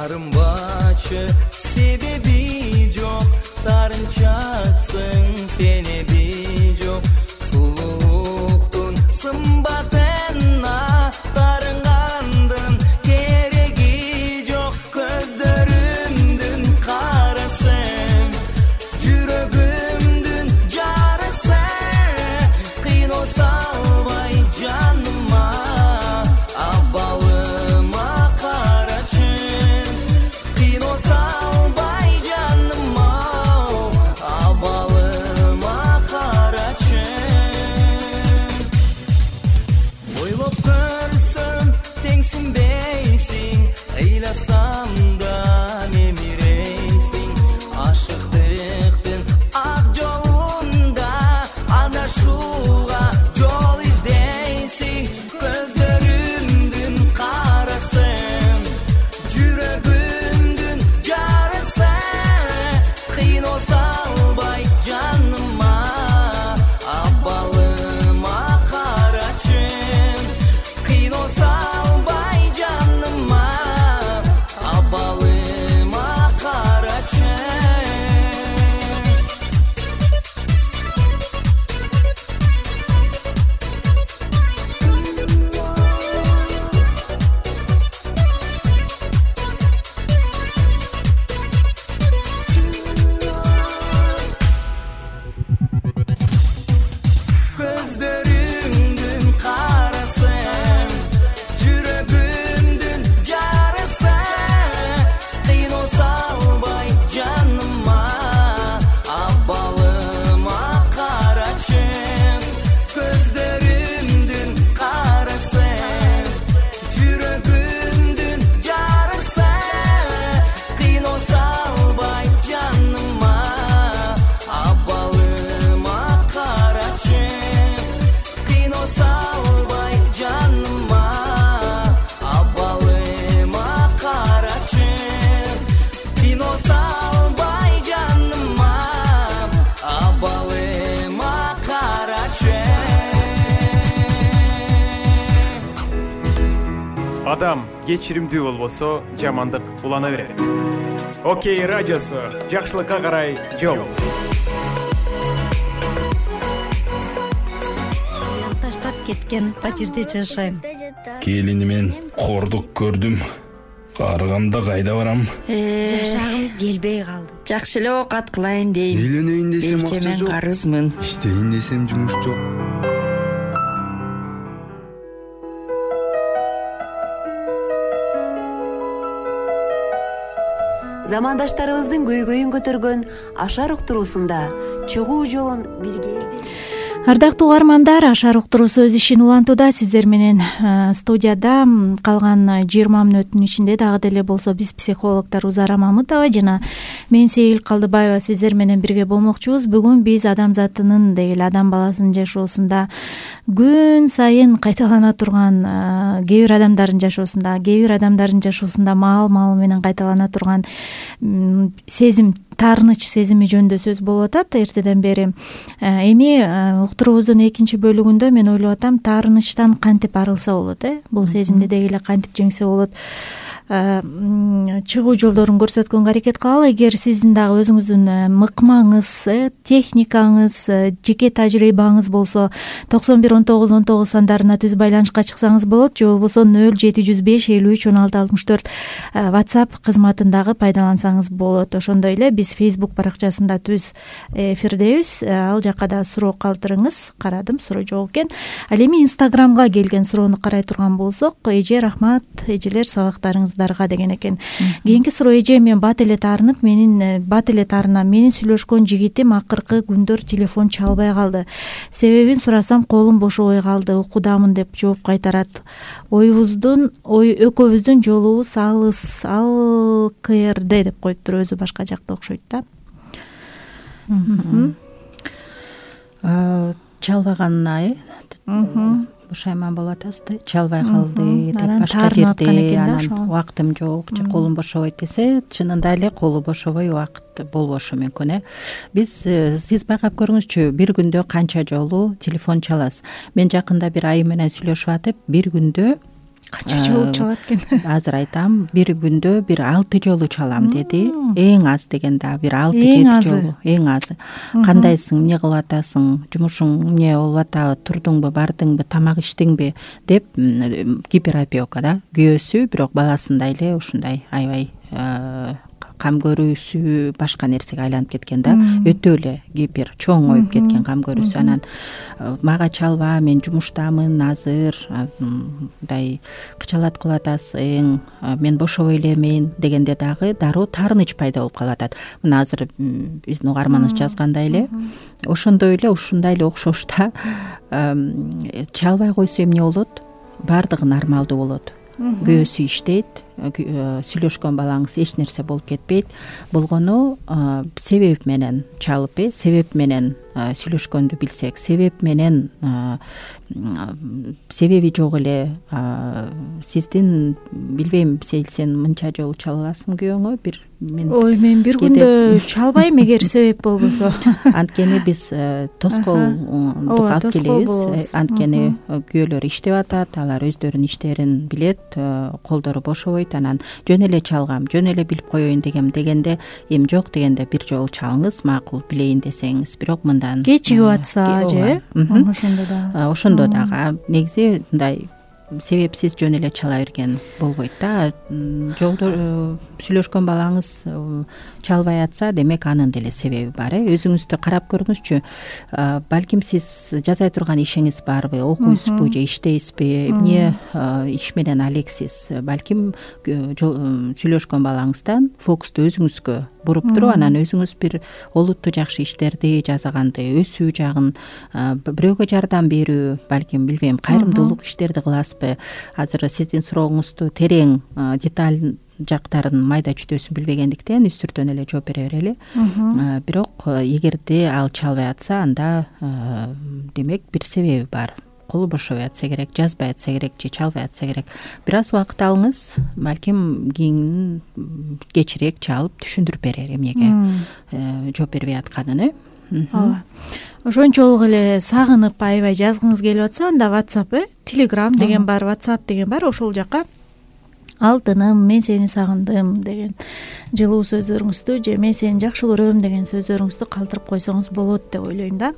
Тарынбачы себеби жок, тарынчатсың сен эби жок. Сулуулуктун сымбатына тарынгандын кереги жок. Көздөрүмдүн карасын, жүрөгүмдүн жарысын, кыйноо салбай жаныма, абалыма карачы. Адам кечиримдүү болбосо, жамандык улана берет. Окей радиосу жакшылыкка карай жол. Таштап кеткен патирде жашайм. келини менен кордук көрдүм. Карыганда кайда барам? Жашагым келбей калды. Жакшы эле оокат кылайын дейм. Үйлөнөйүн десем акча Мен жок. карызмын. Иштейин десем жумуш жок. Замандаштарыбыздын көйгөйүн көтөргөн Ашар уктуруусунда чыгуу жолун бирге издейбиз. Ардактуу угармандар, Ашар уктуруусу өз ишин улантууда. Сиздер менен студияда калган 20 мүнөттүн ичинде дагы деле болсо биз психологдор Узара Мамытова жана мен Сейил Калдыбаева сиздер менен бирге болмокчубуз. Бүгүн биз адам затынын деги эле адам баласынын жашоосунда күн сайын кайталана турган кээ бир адамдардын жашоосунда маал менен кайталана турган сезим, таарыныч сезими жөнүндө сөз болуп атат эртеден бери. Эми уктуруубуздун экинчи бөлүгүндө мен ойлоп атам, таарынычтан кантип арылса болот, бул сезимди деги эле кантип жеңсе болот, чыгуу жолдорун көрсөткөнгө аракет кылалы. Эгер сиздин дагы өзүңүздүн мыкмаңыз, техникаңыз, жеке тажрыйбаңыз болсо 911919 сандарына түз байланышка чыксаңыз болот, же болбосо 0705 53 16 64 WhatsApp кызматын дагы пайдалансаңыз болот. Ошондой эле биз Facebook баракчасында түз эфирдебиз, ал жакка да суроо калтырыңыз. Карадым, суроо жок экен. Ал эми Instagramга келген суроону карай турган болсок, эже рахмат, эжелер сабактарыңыздарга деген экен. Кийинки суроо: эже, мен бат эле таарынам, менин сүйлөшкөн жигитим акыркы күндөр телефон чалбай калды. Себебин сурасам колум бошобой калды, укудамын деп жооп кайтарат. Экөөбүздүн жолубуз алыс, ал КРД деп коюптур, өзү башка жакта окшойт да. Чалбаганына бушайман болуп атасыз да, чалбай калды деп башка жерде анан убактым жок же колум бошобойт десе, чынында эле колу бошобой убакыт болбошу мүмкүн. Сиз байкап көрүңүзчү, бир күндө канча жолу телефон чаласыз? Мен жакында бир айым менен сүйлөшүп атып, бир күндө канча жолу чалат экен? Азыр айтам, бир күндө бир 6 жолу чалам деди. Эң аз дегенде бир 6-7 жолу. Эң азы. Кандайсың, эмне кылып атасың, жумушуң эмне болуп атабы, турдуңбу, бардыңбы, тамак иштиңби деп гиперопека да. Күйөөсү бирок баласындай эле ушундай аябай кам көрүүсү башка нерсеге айланып кеткен да. Өтө эле гипер чоң оюп кеткен кам көрүүсү. Анан мага чалба, мен жумуштамын азыр, мындай кычалат кылып атасың, мен бошобой элемин дегенде дагы дароо таарыныч пайда болуп калып атат. Мына азыр биздин угарманыбыз жазгандай эле, ошондой эле ушундай эле окшош да. Чалбай койсо эмне болот? Бардыгы нормалдуу болот. Күйөөсү иштейт, сүйлөшкөн балаңыз эч нерсе болуп кетпейт. Болгону себеп менен чалып, себеп менен сүйлөшкөндү билсек, себеп менен себеби жок эле сиздин, билбейм, сен мынча жолу чала аласың күйөөңө? Мен бир күндө чалбайм эгер себеп болбосо. Анткени биз тоскоолдук алып келебиз. Анткени күйөөлөр иштеп атат, алар өздөрүнүн иштерин билет, колдору бошобойт, анан жөн эле чалгам, жөн эле билип коеюн дегенде, эми жок дегенде бир жолу чалыңыз, макул билейин десеңиз, бирок мындан кечигип атса же, ошондо дагы негизи мындай себепсиз жөн эле чала берген болбойт да. Жолдо сүйлөшкөн балаңыз чалбай атса, демек анын деле себеби бар. Өзүңүздү карап көрүңүзчү. Балким сиз жасай турган ишиңиз барбы, окуйсузбу же иштейсизби, эмне иш менен алексиз? Балким сүйлөшкөн балаңыздан фокусту өзүңүзгө буруп туруп, анан өзүңүз бир олуттуу жакшы иштерди жасаганды, өсүү жагын, бирөөгө жардам берүү, балким билбейм, кайрымдуулук иштерди кыласызбы? Азыр сиздин сурооңузду терең, деталь жактарын, майда чүтөсүн билбегендиктен үстүртөн эле жооп бере берели. Бирок эгерде ал чалбай атса, анда демек бир себеби бар. Колу бошобой атса керек, жазбай атса керек же чалбай атса керек. Бир аз убакыт алыңыз, балким кийин кечирээк чалып түшүндүрүп берер эмнеге жооп бербей атканын. Ошончолук эле сагынып аябай жазгыңыз келип атса, анда WhatsApp, Telegram деген бар, WhatsApp деген бар, ошол жака алтыным, мен сени сагындым деген жылуу сөздөрүңүздү же мен сени жакшы көрөм деген сөздөрүңүздү калтырып койсоңуз болот деп ойлойм да.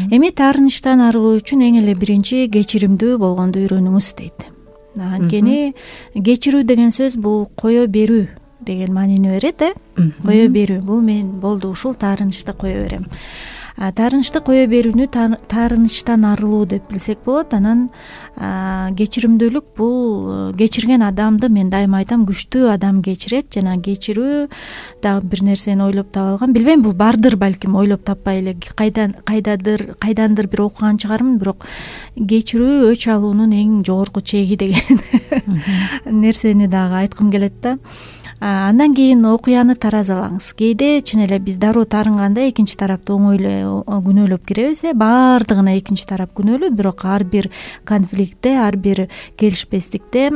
Эми таарынычтан арылуу үчүн эң эле биринчи кечиримдүү болгонду үйрөнүңүз дейт. Анткени кечирүү деген сөз бул кое берүү деген маанини берет, кое берүү. Бул мен болду ушул таарынычты кое берем. Таарынычты кое берүүнү таарынычтан арылуу деп билсек болот. Анан кечиримдүүлүк бул кечирген адамды мен дайыма айтам, күчтүү адам кечирет. Жана кечирүү дагы бир нерсени ойлоп таба алгам. Билбейм, бул бардыр балким, ойлоп таппай эле кайдандыр бир окуган чыгармын, бирок кечирүү өч алуунун эң жогорку чеги деген нерсени дагы айткым келет да. Андан кийин окуяны таразалаңыз. Кээде чын эле биз дароо таарынганда экинчи тарапты оңой эле күнөөлөп киребиз. Баардыгына экинчи тарап күнөөлүү, бирок ар бир конфликтте, ар бир келишпестикте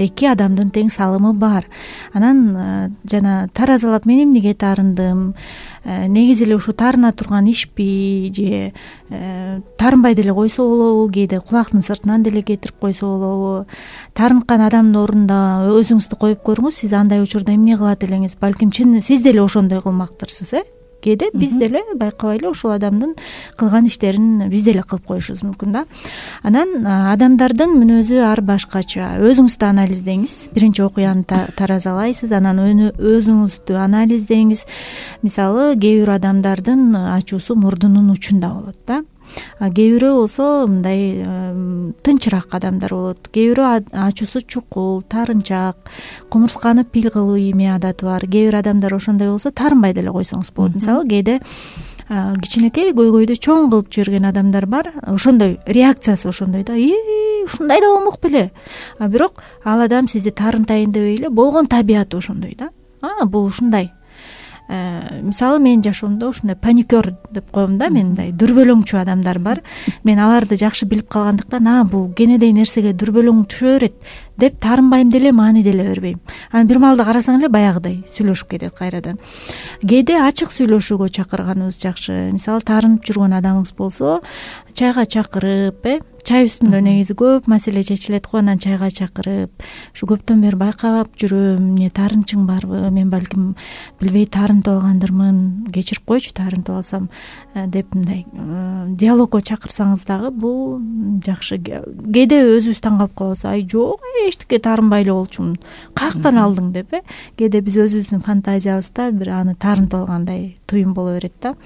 эки адамдын тең салымы бар. Анан жана таразалап мен эмнеге таарындым, негизи эле ушу таарына турган ишпи же таарынбай деле койсо болобу, кээде кулактын сыртынан деле кетирип койсо болобу. Таарынткан адамдын ордуна өзүңүздү коюп көрүңүз, сиз андай учурда эмне кылат элеңиз, балким чын сиз деле ошондой кылмактырсыз. Кээде биз деле байкабай эле ушул адамдын кылган иштерин биз деле кылып коюшубуз мүмкүн да. Анан адамдардын мүнөзү ар башкача. Өзүңүздү анализдеңиз. Биринчи окуяны таразалайсыз, анан өзүңүздү анализдеңиз. Мисалы, кээ бир адамдардын ачуусу мурдунун учунда болот да. Кээ бирөө болсо мындай тынчыраак адамдар болот. Кээ бирөө ачуусу чукул, таарынчаак, кумурсканы пил кылуу эме адаты бар. Кээ бир адамдар ошондой болсо таарынбай деле койсоңуз болот. Мисалы, кээде кичинекей көйгөйдү чоң кылып жиберген адамдар бар. Ошондой реакциясы ошондой да. Ушундай да болмок беле. Бирок ал адам сизди таарынтайын дебей эле болгон табияты ошондой да. Бул ушундай. Мисалы, мен жашоомдо ушундай паникер деп коем да, мындай дүрбөлөңчү адамдар бар. Мен аларды жакшы билип калгандыктан, бул кенедей нерсеге дүрбөлөң түшө берет деп таарынбайм деле, маани деле бербейм. Анан бир малда карасаң эле баягыдай сүйлөшүп кетет кайрадан. Кээде ачык сүйлөшүүгө чакырганыбыз жакшы. Мисалы, таарынып жүргөн адамыңыз болсо, чайга чакырып, чай үстүндө негизи көп маселе чечилет го, анан чайга чакырып, ушу көптөн бери байкап жүрөм, эмне таарынычың барбы, мен балким билбей таарынтып алгандырмын, кечирип койчу таарынтып алсам деп мындай диалогго чакырсаңыз дагы бул жакшы. Кээде өзүбүз таң калып калабыз, жок, эчтеке таарынбай эле болчумун, каяктан алдың деп. Кээде биз өзүбүздүн фантазиябызда бир аны таарынтып алгандай туюм боло берет да.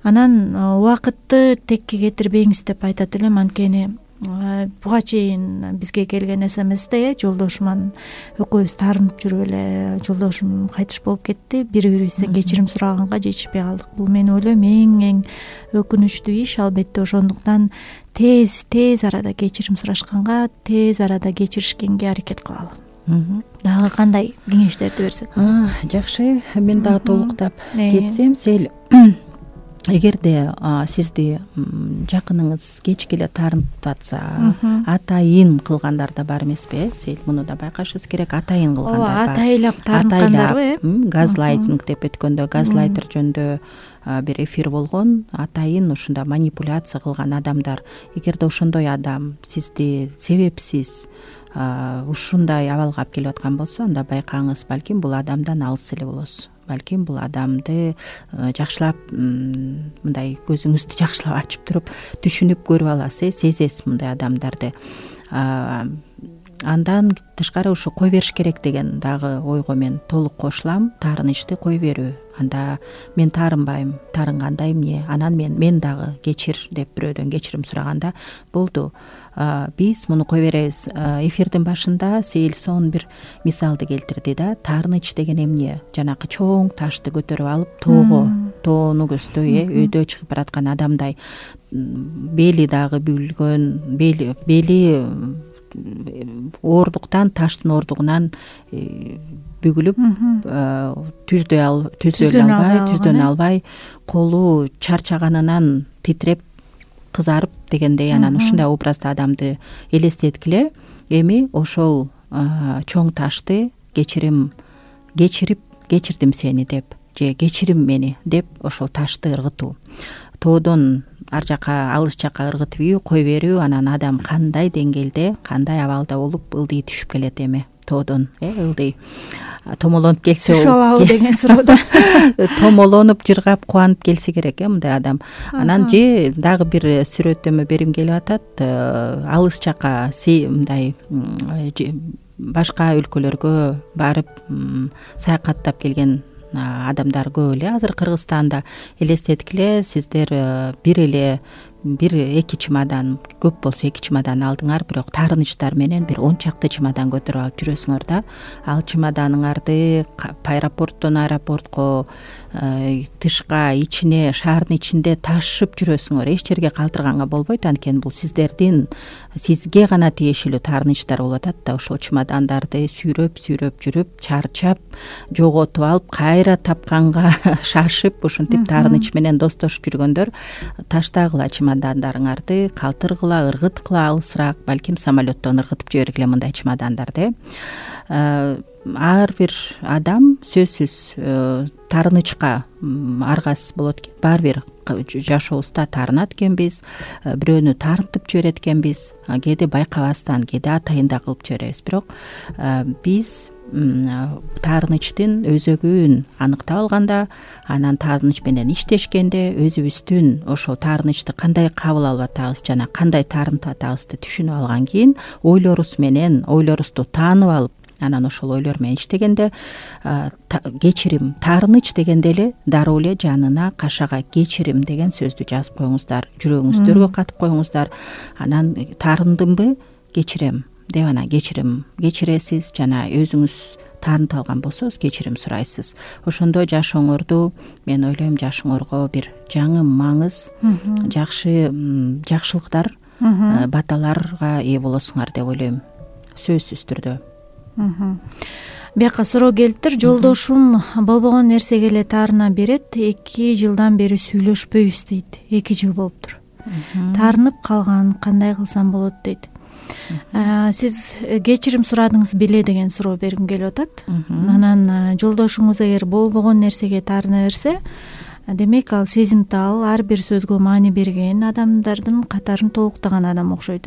Анан убакытты текке кетирбеңиз деп айтат элем. Анткени буга чейин бизге келген СМСте жолдошуман экөөбүз таарынып жүрүп эле жолдошум кайтыш болуп кетти, бири бирибизден кечирим сураганга жетишпей калдык. Бул мен ойлойм эң өкүнүчтүү иш. Албетте ошондуктан тез арада кечирим сурашканга, тез арада кечиришкенге аракет кылалы. Дагы кандай кеңештерди берсек? Жакшы, мен дагы толуктап кетсем, эгерде сизди жакыныңыз кечке эле таарынтып атса, атайын кылгандар да бар эмеспи? Сел муну да байкашыңыз керек. Атайын кылгандар бар. Атайлап таарынткандарбы? Газлайтинг деп өткөндө, газлайтер жөнүндө бир эфир болгон. Атайын ушунда манипуляция кылган адамдар. Эгерде ошондой адам сизди себепсиз ушундай абалга алып келип аткан болсо, анда байкаңыз, балким бул адамдан алыс эле болосуз. Балким бул адамды жакшылап мындай көзүңүздү жакшылап ачып туруп түшүнүп көрүп аласыз, сезесиз мындай адамдарды. Андан тышкары ушу кой бериш керек деген дагы ойго мен толук кошулам. Таарынычты кой берүү. Анда мен таарынбайм, таарынганда эмне? Анан мен дагы кечир деп бирөөдөн кечирим сураганда болду. Биз муну кой беребиз. Эфирдин башында Сейилсон бир мисалды келтирди да. Таарыныч деген эмне? Жанакы чоң ташты көтөрүп алып тоону көздөй, өйдө чыгып бараткан адамдай, бели дагы бүгүлгөн, бели оордуктан, таштын оордугунан бүгүлүп, түздөн албай, колу чарчаганынан титиреп, кызарып дегендей, анан ушундай образда адамды элестеткиле. Эми ошол чоң ташты кечирдим сени деп, же кечирим мени деп ошол ташты ыргытуу. Тоодон ар жака, алыс жака ыргытып кой берүү. Анан адам кандай деңгээлде, кандай абалда болуп ылдый түшүп келет эми. тоодон ылдый томолонуп келсе түшө алабы деген суроо томолонуп жыргап кубанып келсе керек мындай адам. Анан же дагы бир сүрөттөмө берим келип атат. Алыс жака мындай башка өлкөлөргө барып саякаттап келген адамдар көп эле. Азыр Кыргызстанда элестеткиле, сиздер бир эки чемодан, көп болсо 2 чемодан алдыңар, бирок таарынычтар менен бир 10 чакты чемодан көтөрүп алып жүрөсүңөр да. Ал чемоданыңарды аэропорттон аэропортко, тышка, ичине, шаардын ичинде ташып жүрөсүңөр. Эч жерге калтырганга болбойт, анткени бул сизге гана тиешелүү таарынычтар болуп атат да. Ошол чемодандарды сүйрөп жүрүп, чарчап, жоготуп алып, кайра тапканга шашып, ушинтип таарыныч менен достошуп жүргөндөр таштагыла чемодандарыңарды, калтыргыла, ыргыткыла алысыраак, балким самолеттон ыргытып жибергиле мындай чемодандарды. Ар бир адам сөзсүз таарынычка аргасыз болот экен. Баары бир жашообузда таарынат экенбиз, бирөөнү таарынтып жиберет экенбиз, кээде байкабастан, кээде атайын да кылып жиберебиз. Бирок биз таарынычтын өзөгүн аныктап алганда, анан таарыныч менен иштешкенде өзүбүздүн ошол таарынычты кандай кабыл алып атабыз жана кандай таарынтып атабызды түшүнүп алган кийин, ойлорубузду таанып алып, анан ошол ойлор менен иштегенде кечирим, таарыныч дегенде эле дароо эле жанына кашага кечирим деген сөздү жазып коюңуздар, жүрөгүңүздөргө катып коюңуздар. Анан таарындымбы, кечирем деп анан кечиресиз жана өзүңүз таарынтып алган болсоңуз кечирим сурайсыз. Ошондо жашооңорду, мен ойлойм, жашооңорго бир жаңы маңыз, жакшылыктар, баталарга ээ болосуңар деп ойлойм, сөзсүз түрдө. Бияка суроо келиптир. Жолдошум болбогон нерсеге эле таарына берет. 2 жылдан бери сүйлөшпөйбүз дейт. 2 жыл болуптур. Таарынып калган, кандай кылсам болот дейт. Сиз кечирим сурадыңыз беле деген суроо бергим келип атат. Анан жолдошуңуз эгер болбогон нерсеге таарына берсе, демек ал сезимтал, ар бир сөзгө маани берген адамдардын катарын толуктаган адам окшойт.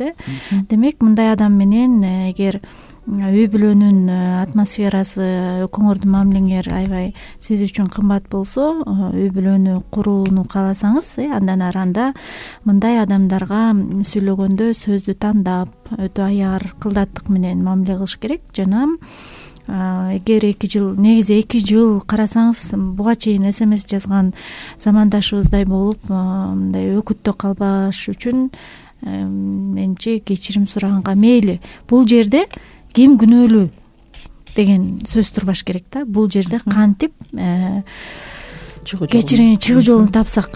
Демек мындай адам менен эгер үй бүлөнүн атмосферасы, экөөңөрдүн мамилеңер аябай сиз үчүн кымбат болсо, үй бүлөнү курууну кааласаңыз, андан ары анда мындай адамдарга сүйлөгөндө сөздү тандап, өтө аяр, кылдаттык менен мамиле кылыш керек. Жана эгер 2 жыл, негизи 2 жыл карасаңыз, буга чейин СМС жазган замандашыбыздай болуп, мындай өкүттө калбаш үчүн менче кечирим сураганга мейли. Бул жерде ким күнөөлүү деген сөз турбаш керек да. Бул жерде кантип чыгуу жолун тапсак,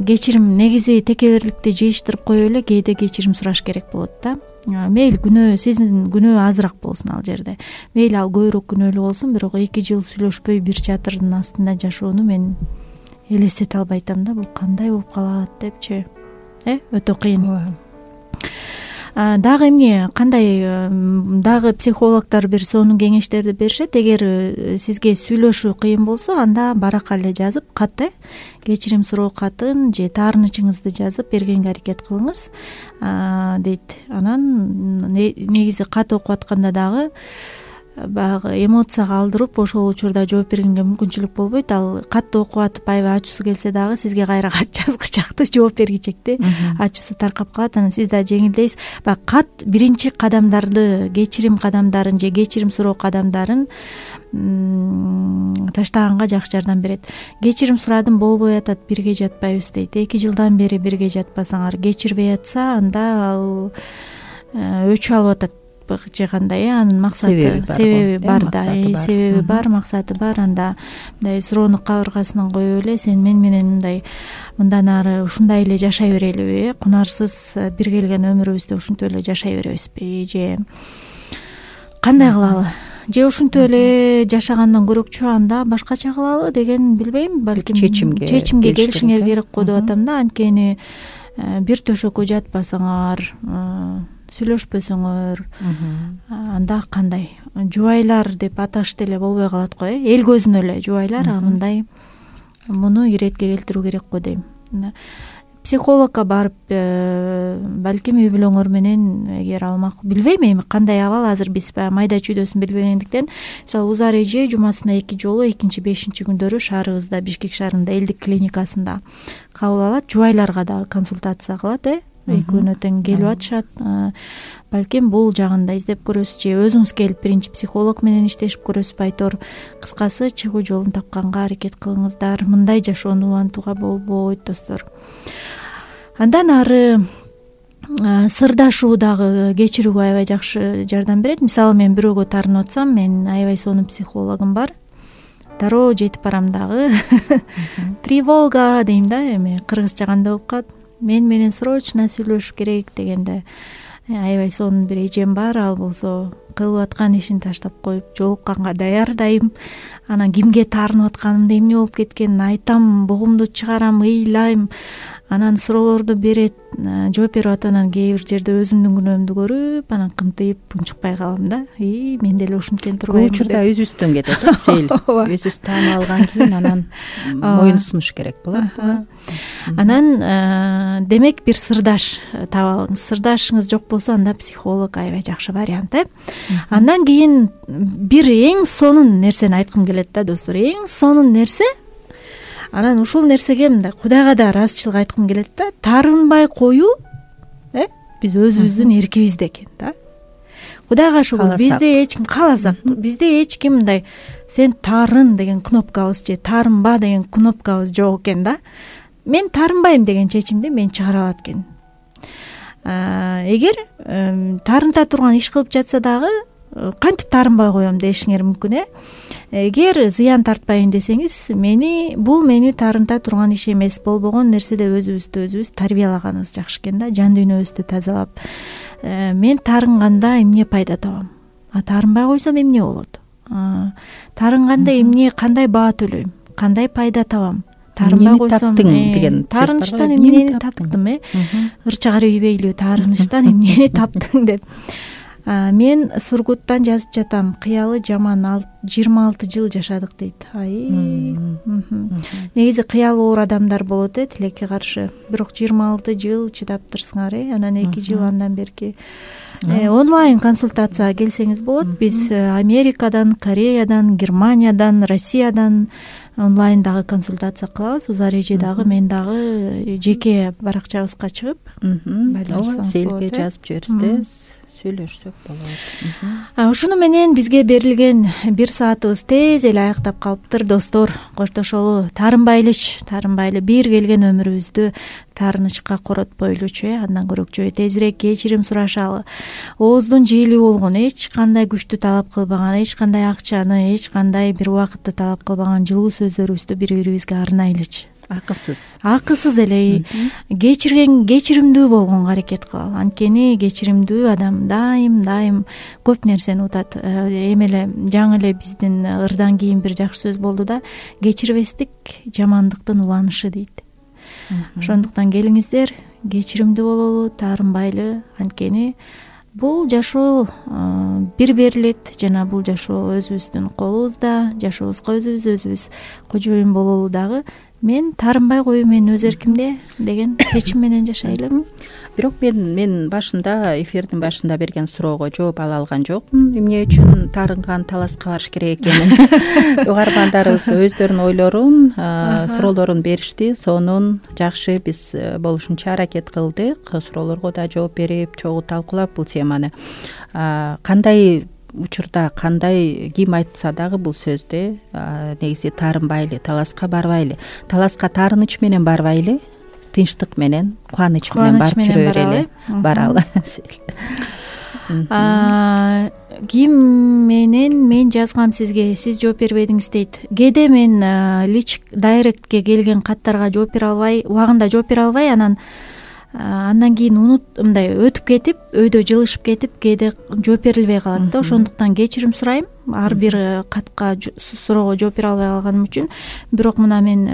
кечирим негизи текеберликти жыйыштырып коюп эле кээде кечирим сураш керек болот да. Мейли күнөө, сиздин күнөө азыраак болсун ал жерде. Мейли ал көбүрөөк күнөөлүү болсун, бирок 2 жыл сүйлөшпөй бир чатырдын астында жашоону мен элестете албай атам да. Бул кандай болуп калат депчи. Өтө кыйын. Дагы эмне, кандай дагы психологдор бир сонун кеңештерди беришет. Эгер сизге сүйлөшүү кыйын болсо, анда баракка эле жазып, кат, кечирим суроо катын же таарынычыңызды жазып бергенге аракет кылыңыз дейт. Анан негизи кат окуп атканда дагы баягы эмоцияга алдырып, ошол учурда жооп бергенге мүмкүнчүлүк болбойт. Ал катты окуп атып аябай ачуусу келсе дагы сизге кайра кат жазгычакты жооп бергичекти. Ачуусу таркап калат, анан сиз да жеңилдейсиз. Баягы кат биринчи кадамдарды, кечирим кадамдарын же кечирим суроо кадамдарын таштаганга жакшы жардам берет. Кечирим сурадым, болбой атат, бирге жатпайбыз дейт. 2 жылдан бери бирге жатпасаңар, кечирбей атса, анда ал өчүп алып атат же кандай, анын максаты, себеби бар да, себеби бар, максаты бар. Анда мындай суроону кабыргасынан коюп эле, сен мен менен мындан ары ушундай эле жашай берелиби, кунарсыз бир келген өмүрүбүздө ушинтип эле жашай беребизби, же кандай кылалы, же ушинтип эле жашагандан көрөкчү анда башкача кылалы деген, билбейм, балким чечимге келишиңер керек го деп атам да. Анткени бир төшөккө жатпасаңар, сүйлөшпөсөңөр, анда кандай жубайлар деп аташты эле болбой калат го, эл көзүнө эле жубайлар, мындай муну иретке келтирүү керек го дейм. психологко барып балким үй бүлөңөр менен эгер ал билбейм эми кандай абал, азыр биз баягы майда чүйдөсүн билбегендиктен мисалы Узар эже жумасына 2 жолу 2-5 күндөрү шаарыбызда, Бишкек шаарында элдик клиникасында кабыл алат, жубайларга дагы консультация кылат, экөөнө тең келип атышат. Балким бул жагында издеп көрөсүз, же өзүңүз келип биринчи психолог менен иштешип көрөсүзбү айтор. Кыскасы чыгуу жолун тапканга аракет кылыңыздар. Мындай жашоону улантууга болбойт достор. Андан ары сырдашуу дагы кечирүүгө аябай жакшы жардам берет. Мисалы мен бирөөгө тарынып атсам, мен аябай сонун психологум бар. Дароо жетип барам дагы. Тревога дейм да, эми кыргызча кандай болуп калат? Мен менен срочно сүйлөшүш керек дегенде аябай сонун бир эжем бар. Ал болсо кылып аткан ишин таштап коюп жолукканга даяр дайым. Анан кимге таарынып атканымды, эмне болуп кеткенин айтам, бугумду чыгарам, ыйлайм. Анан суроолорду берет, жооп берип атып, анан кээ бир жерде өзүмдүн күнөөмдү көрүп, анан кымтыйып унчукпай калам да. Мен деле ушинткен турбаймынбы? Көп учурда үзүстөн кетет, сейил. Өзүбүз таанып алган кийин анан моюн сунуш керек болот. Анан демек бир сырдаш таап алыңыз. Сырдашыңыз жок болсо, анда психолог аябай жакшы вариант. Андан кийин бир эң сонун нерсени айткым келет да достор. Эң сонун нерсе, анан ушул нерсеге мындай Кудайга да ыраазычылык айткым келет да. Таарынбай коюу биз өзүбүздүн эркибизде экен да. Кудайга шүгүр, бизде эч ким кааласак, бизде эч ким мындай сен таарын деген кнопкабыз же таарынба деген кнопкабыз жок экен да. Мен таарынбайм деген чечимди мен чыгара алат экенмин. Эгер таарынта турган иш кылып жатса дагы кантип таарынбай коем дешиңер мүмкүн. Эгер зыян тартпайын десеңиз, бул мени таарынта турган иш эмес, болбогон нерседе өзүбүз тарбиялаганыбыз жакшы экен да, жан дүйнөбүздү тазалап. Мен таарынганда эмне пайда табам? Таарынбай койсом эмне болот? Таарынганда эмне, кандай баа төлөйм? Кандай пайда табам? Таарынбай койсом деген таарынычтан эмнени таптым, ырчагар ийбейлүү таарынычтан эмнени таптың деп. Мен Сургуттан жазып жатам. Кыялы жаман 26 жыл жашадык дейт. Негизи кыялы оор адамдар болот тилекке каршы. Бирок 26 жыл чыдап турсуңар, анан 2 жыл андан берки онлайн консультацияга келсеңиз болот. Биз Америкадан, Кореядан, Германиядан, Россиядан онлайн дагы консультация кылабыз. Узар эже дагы, мен дагы жеке баракчабызга чыгып сейилге жазып жиберсеңиз сүйлөшсөк болот. Ушуну менен бизге берилген 1 саатыбыз тез эле аяктап калыптыр достор. Коштошолу, таарынбайлы бир келген өмүрүбүздү таарынычка коротпойлучу, андан көрөкчү тезирээк кечирим сурашалы. Ооздун жээли болгон, эч кандай күчтү талап кылбаган, эч кандай акчаны, эч кандай бир убакытты талап кылбаган жылуу сөздөрүбүздү бири-бирибизге арнайлычы. Акысыз эле кечиримдүү болгонго аракет кылалы. Анткени кечиримдүү адам дайым көп нерсени утат. Эми эле жаңы эле биздин ырдан кийин бир жакшы сөз болду да, кечирбестик жамандыктын уланышы дейт. Ошондуктан келиңиздер, кечиримдүү бололу, таарынбайлы. Анткени бул жашоо бир берилет жана бул жашоо өзүбүздүн колубузда. Жашообузга өзүбүз кожоюн бололу дагы. Мен таарынбай коюу менин өз эркимде деген чечим менен жашайлы. Бирок мен башында, эфирдин башында берген суроого жооп ала алган жокмун. Эмне үчүн таарынган таласка барыш керек экенин. Угармандарыбыз өздөрүнүн ойлорун, суроолорун беришти. Сонун жакшы биз болушунча аракет кылдык. Суроолорго да жооп берип, чогуу талкуулап бул теманы. Кандай учурда, ким айтса дагы бул сөздү негизи таарынбайлы, таласка барбайлы. Таласка таарыныч менен барбайлы, тынчтык менен, кубаныч менен барып жүрө берели. Баралы. Ким менен мен жазгам сизге, сиз жооп бербедиңиз дейт. Кээде мен дайректке келген каттарга жооп бере албай, убагында жооп бере албай, андан кийин мындай өтүп кетип, өйдө жылышып кетип, кээде жооп берилбей калат да. Ошондуктан кечирим сурайм. Ар бир катка суроого жооп бере албай калганым үчүн. Бирок мына мен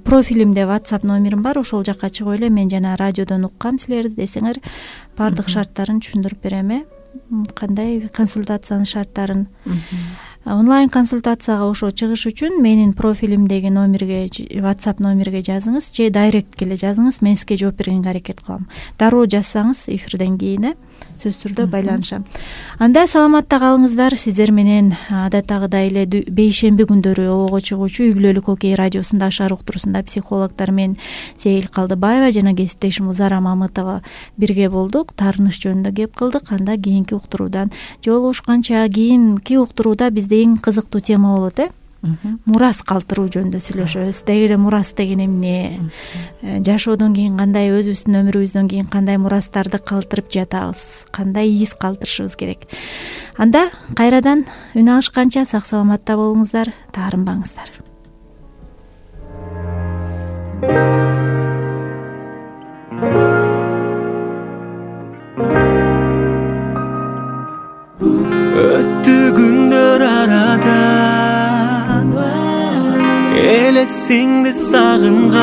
профилимде WhatsApp номерим бар, ошол жакка чыгып эле мен жана радиодон уккам силерди десеңер, бардык шарттарын түшүндүрүп берем. Кандай консультациянын шарттарын. Онлайн консультацияга ошо чыгыш үчүн менин профилимдеги номерге, WhatsApp номерге жазыңыз же дайректке эле жазыңыз, мен сизге жооп бергенге аракет кылам. Дароо жазсаңыз эфирден кийин сөзсүз түрдө байланышам. Анда саламатта калыңыздар. Сиздер менен адаттагыдай эле бейшемби күндөрү ого чыгуучу үй бүлөлүк окей радиосунда Ашар уктуруусунда психологдор мен Сейил Калдыбаева жана кесиптешим Узара Мамытова бирге болдук. Таарыныш жөнүндө кеп кылдык. Анда кийинки уктуруудан жолугушканча, кийинки уктурууда бизде эң кызыктуу тема болот мурас калтыруу жөнүндө сүйлөшөбүз. Деги эле мурас деген эмне? Жашоодон кийин кандай, өзүбүздүн өмүрүбүздөн кийин кандай мурастарды калтырып жатабыз? Кандай из калтырышыбыз керек? Анда кайрадан үн алышканча сак саламатта болуңуздар, таарынбаңыздар. Өттү күндөр арадан элесиңди сагынгам,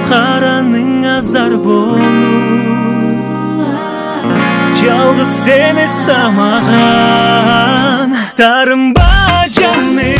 караның азар болуп жалгыз сени самаган. Тарынба жаным,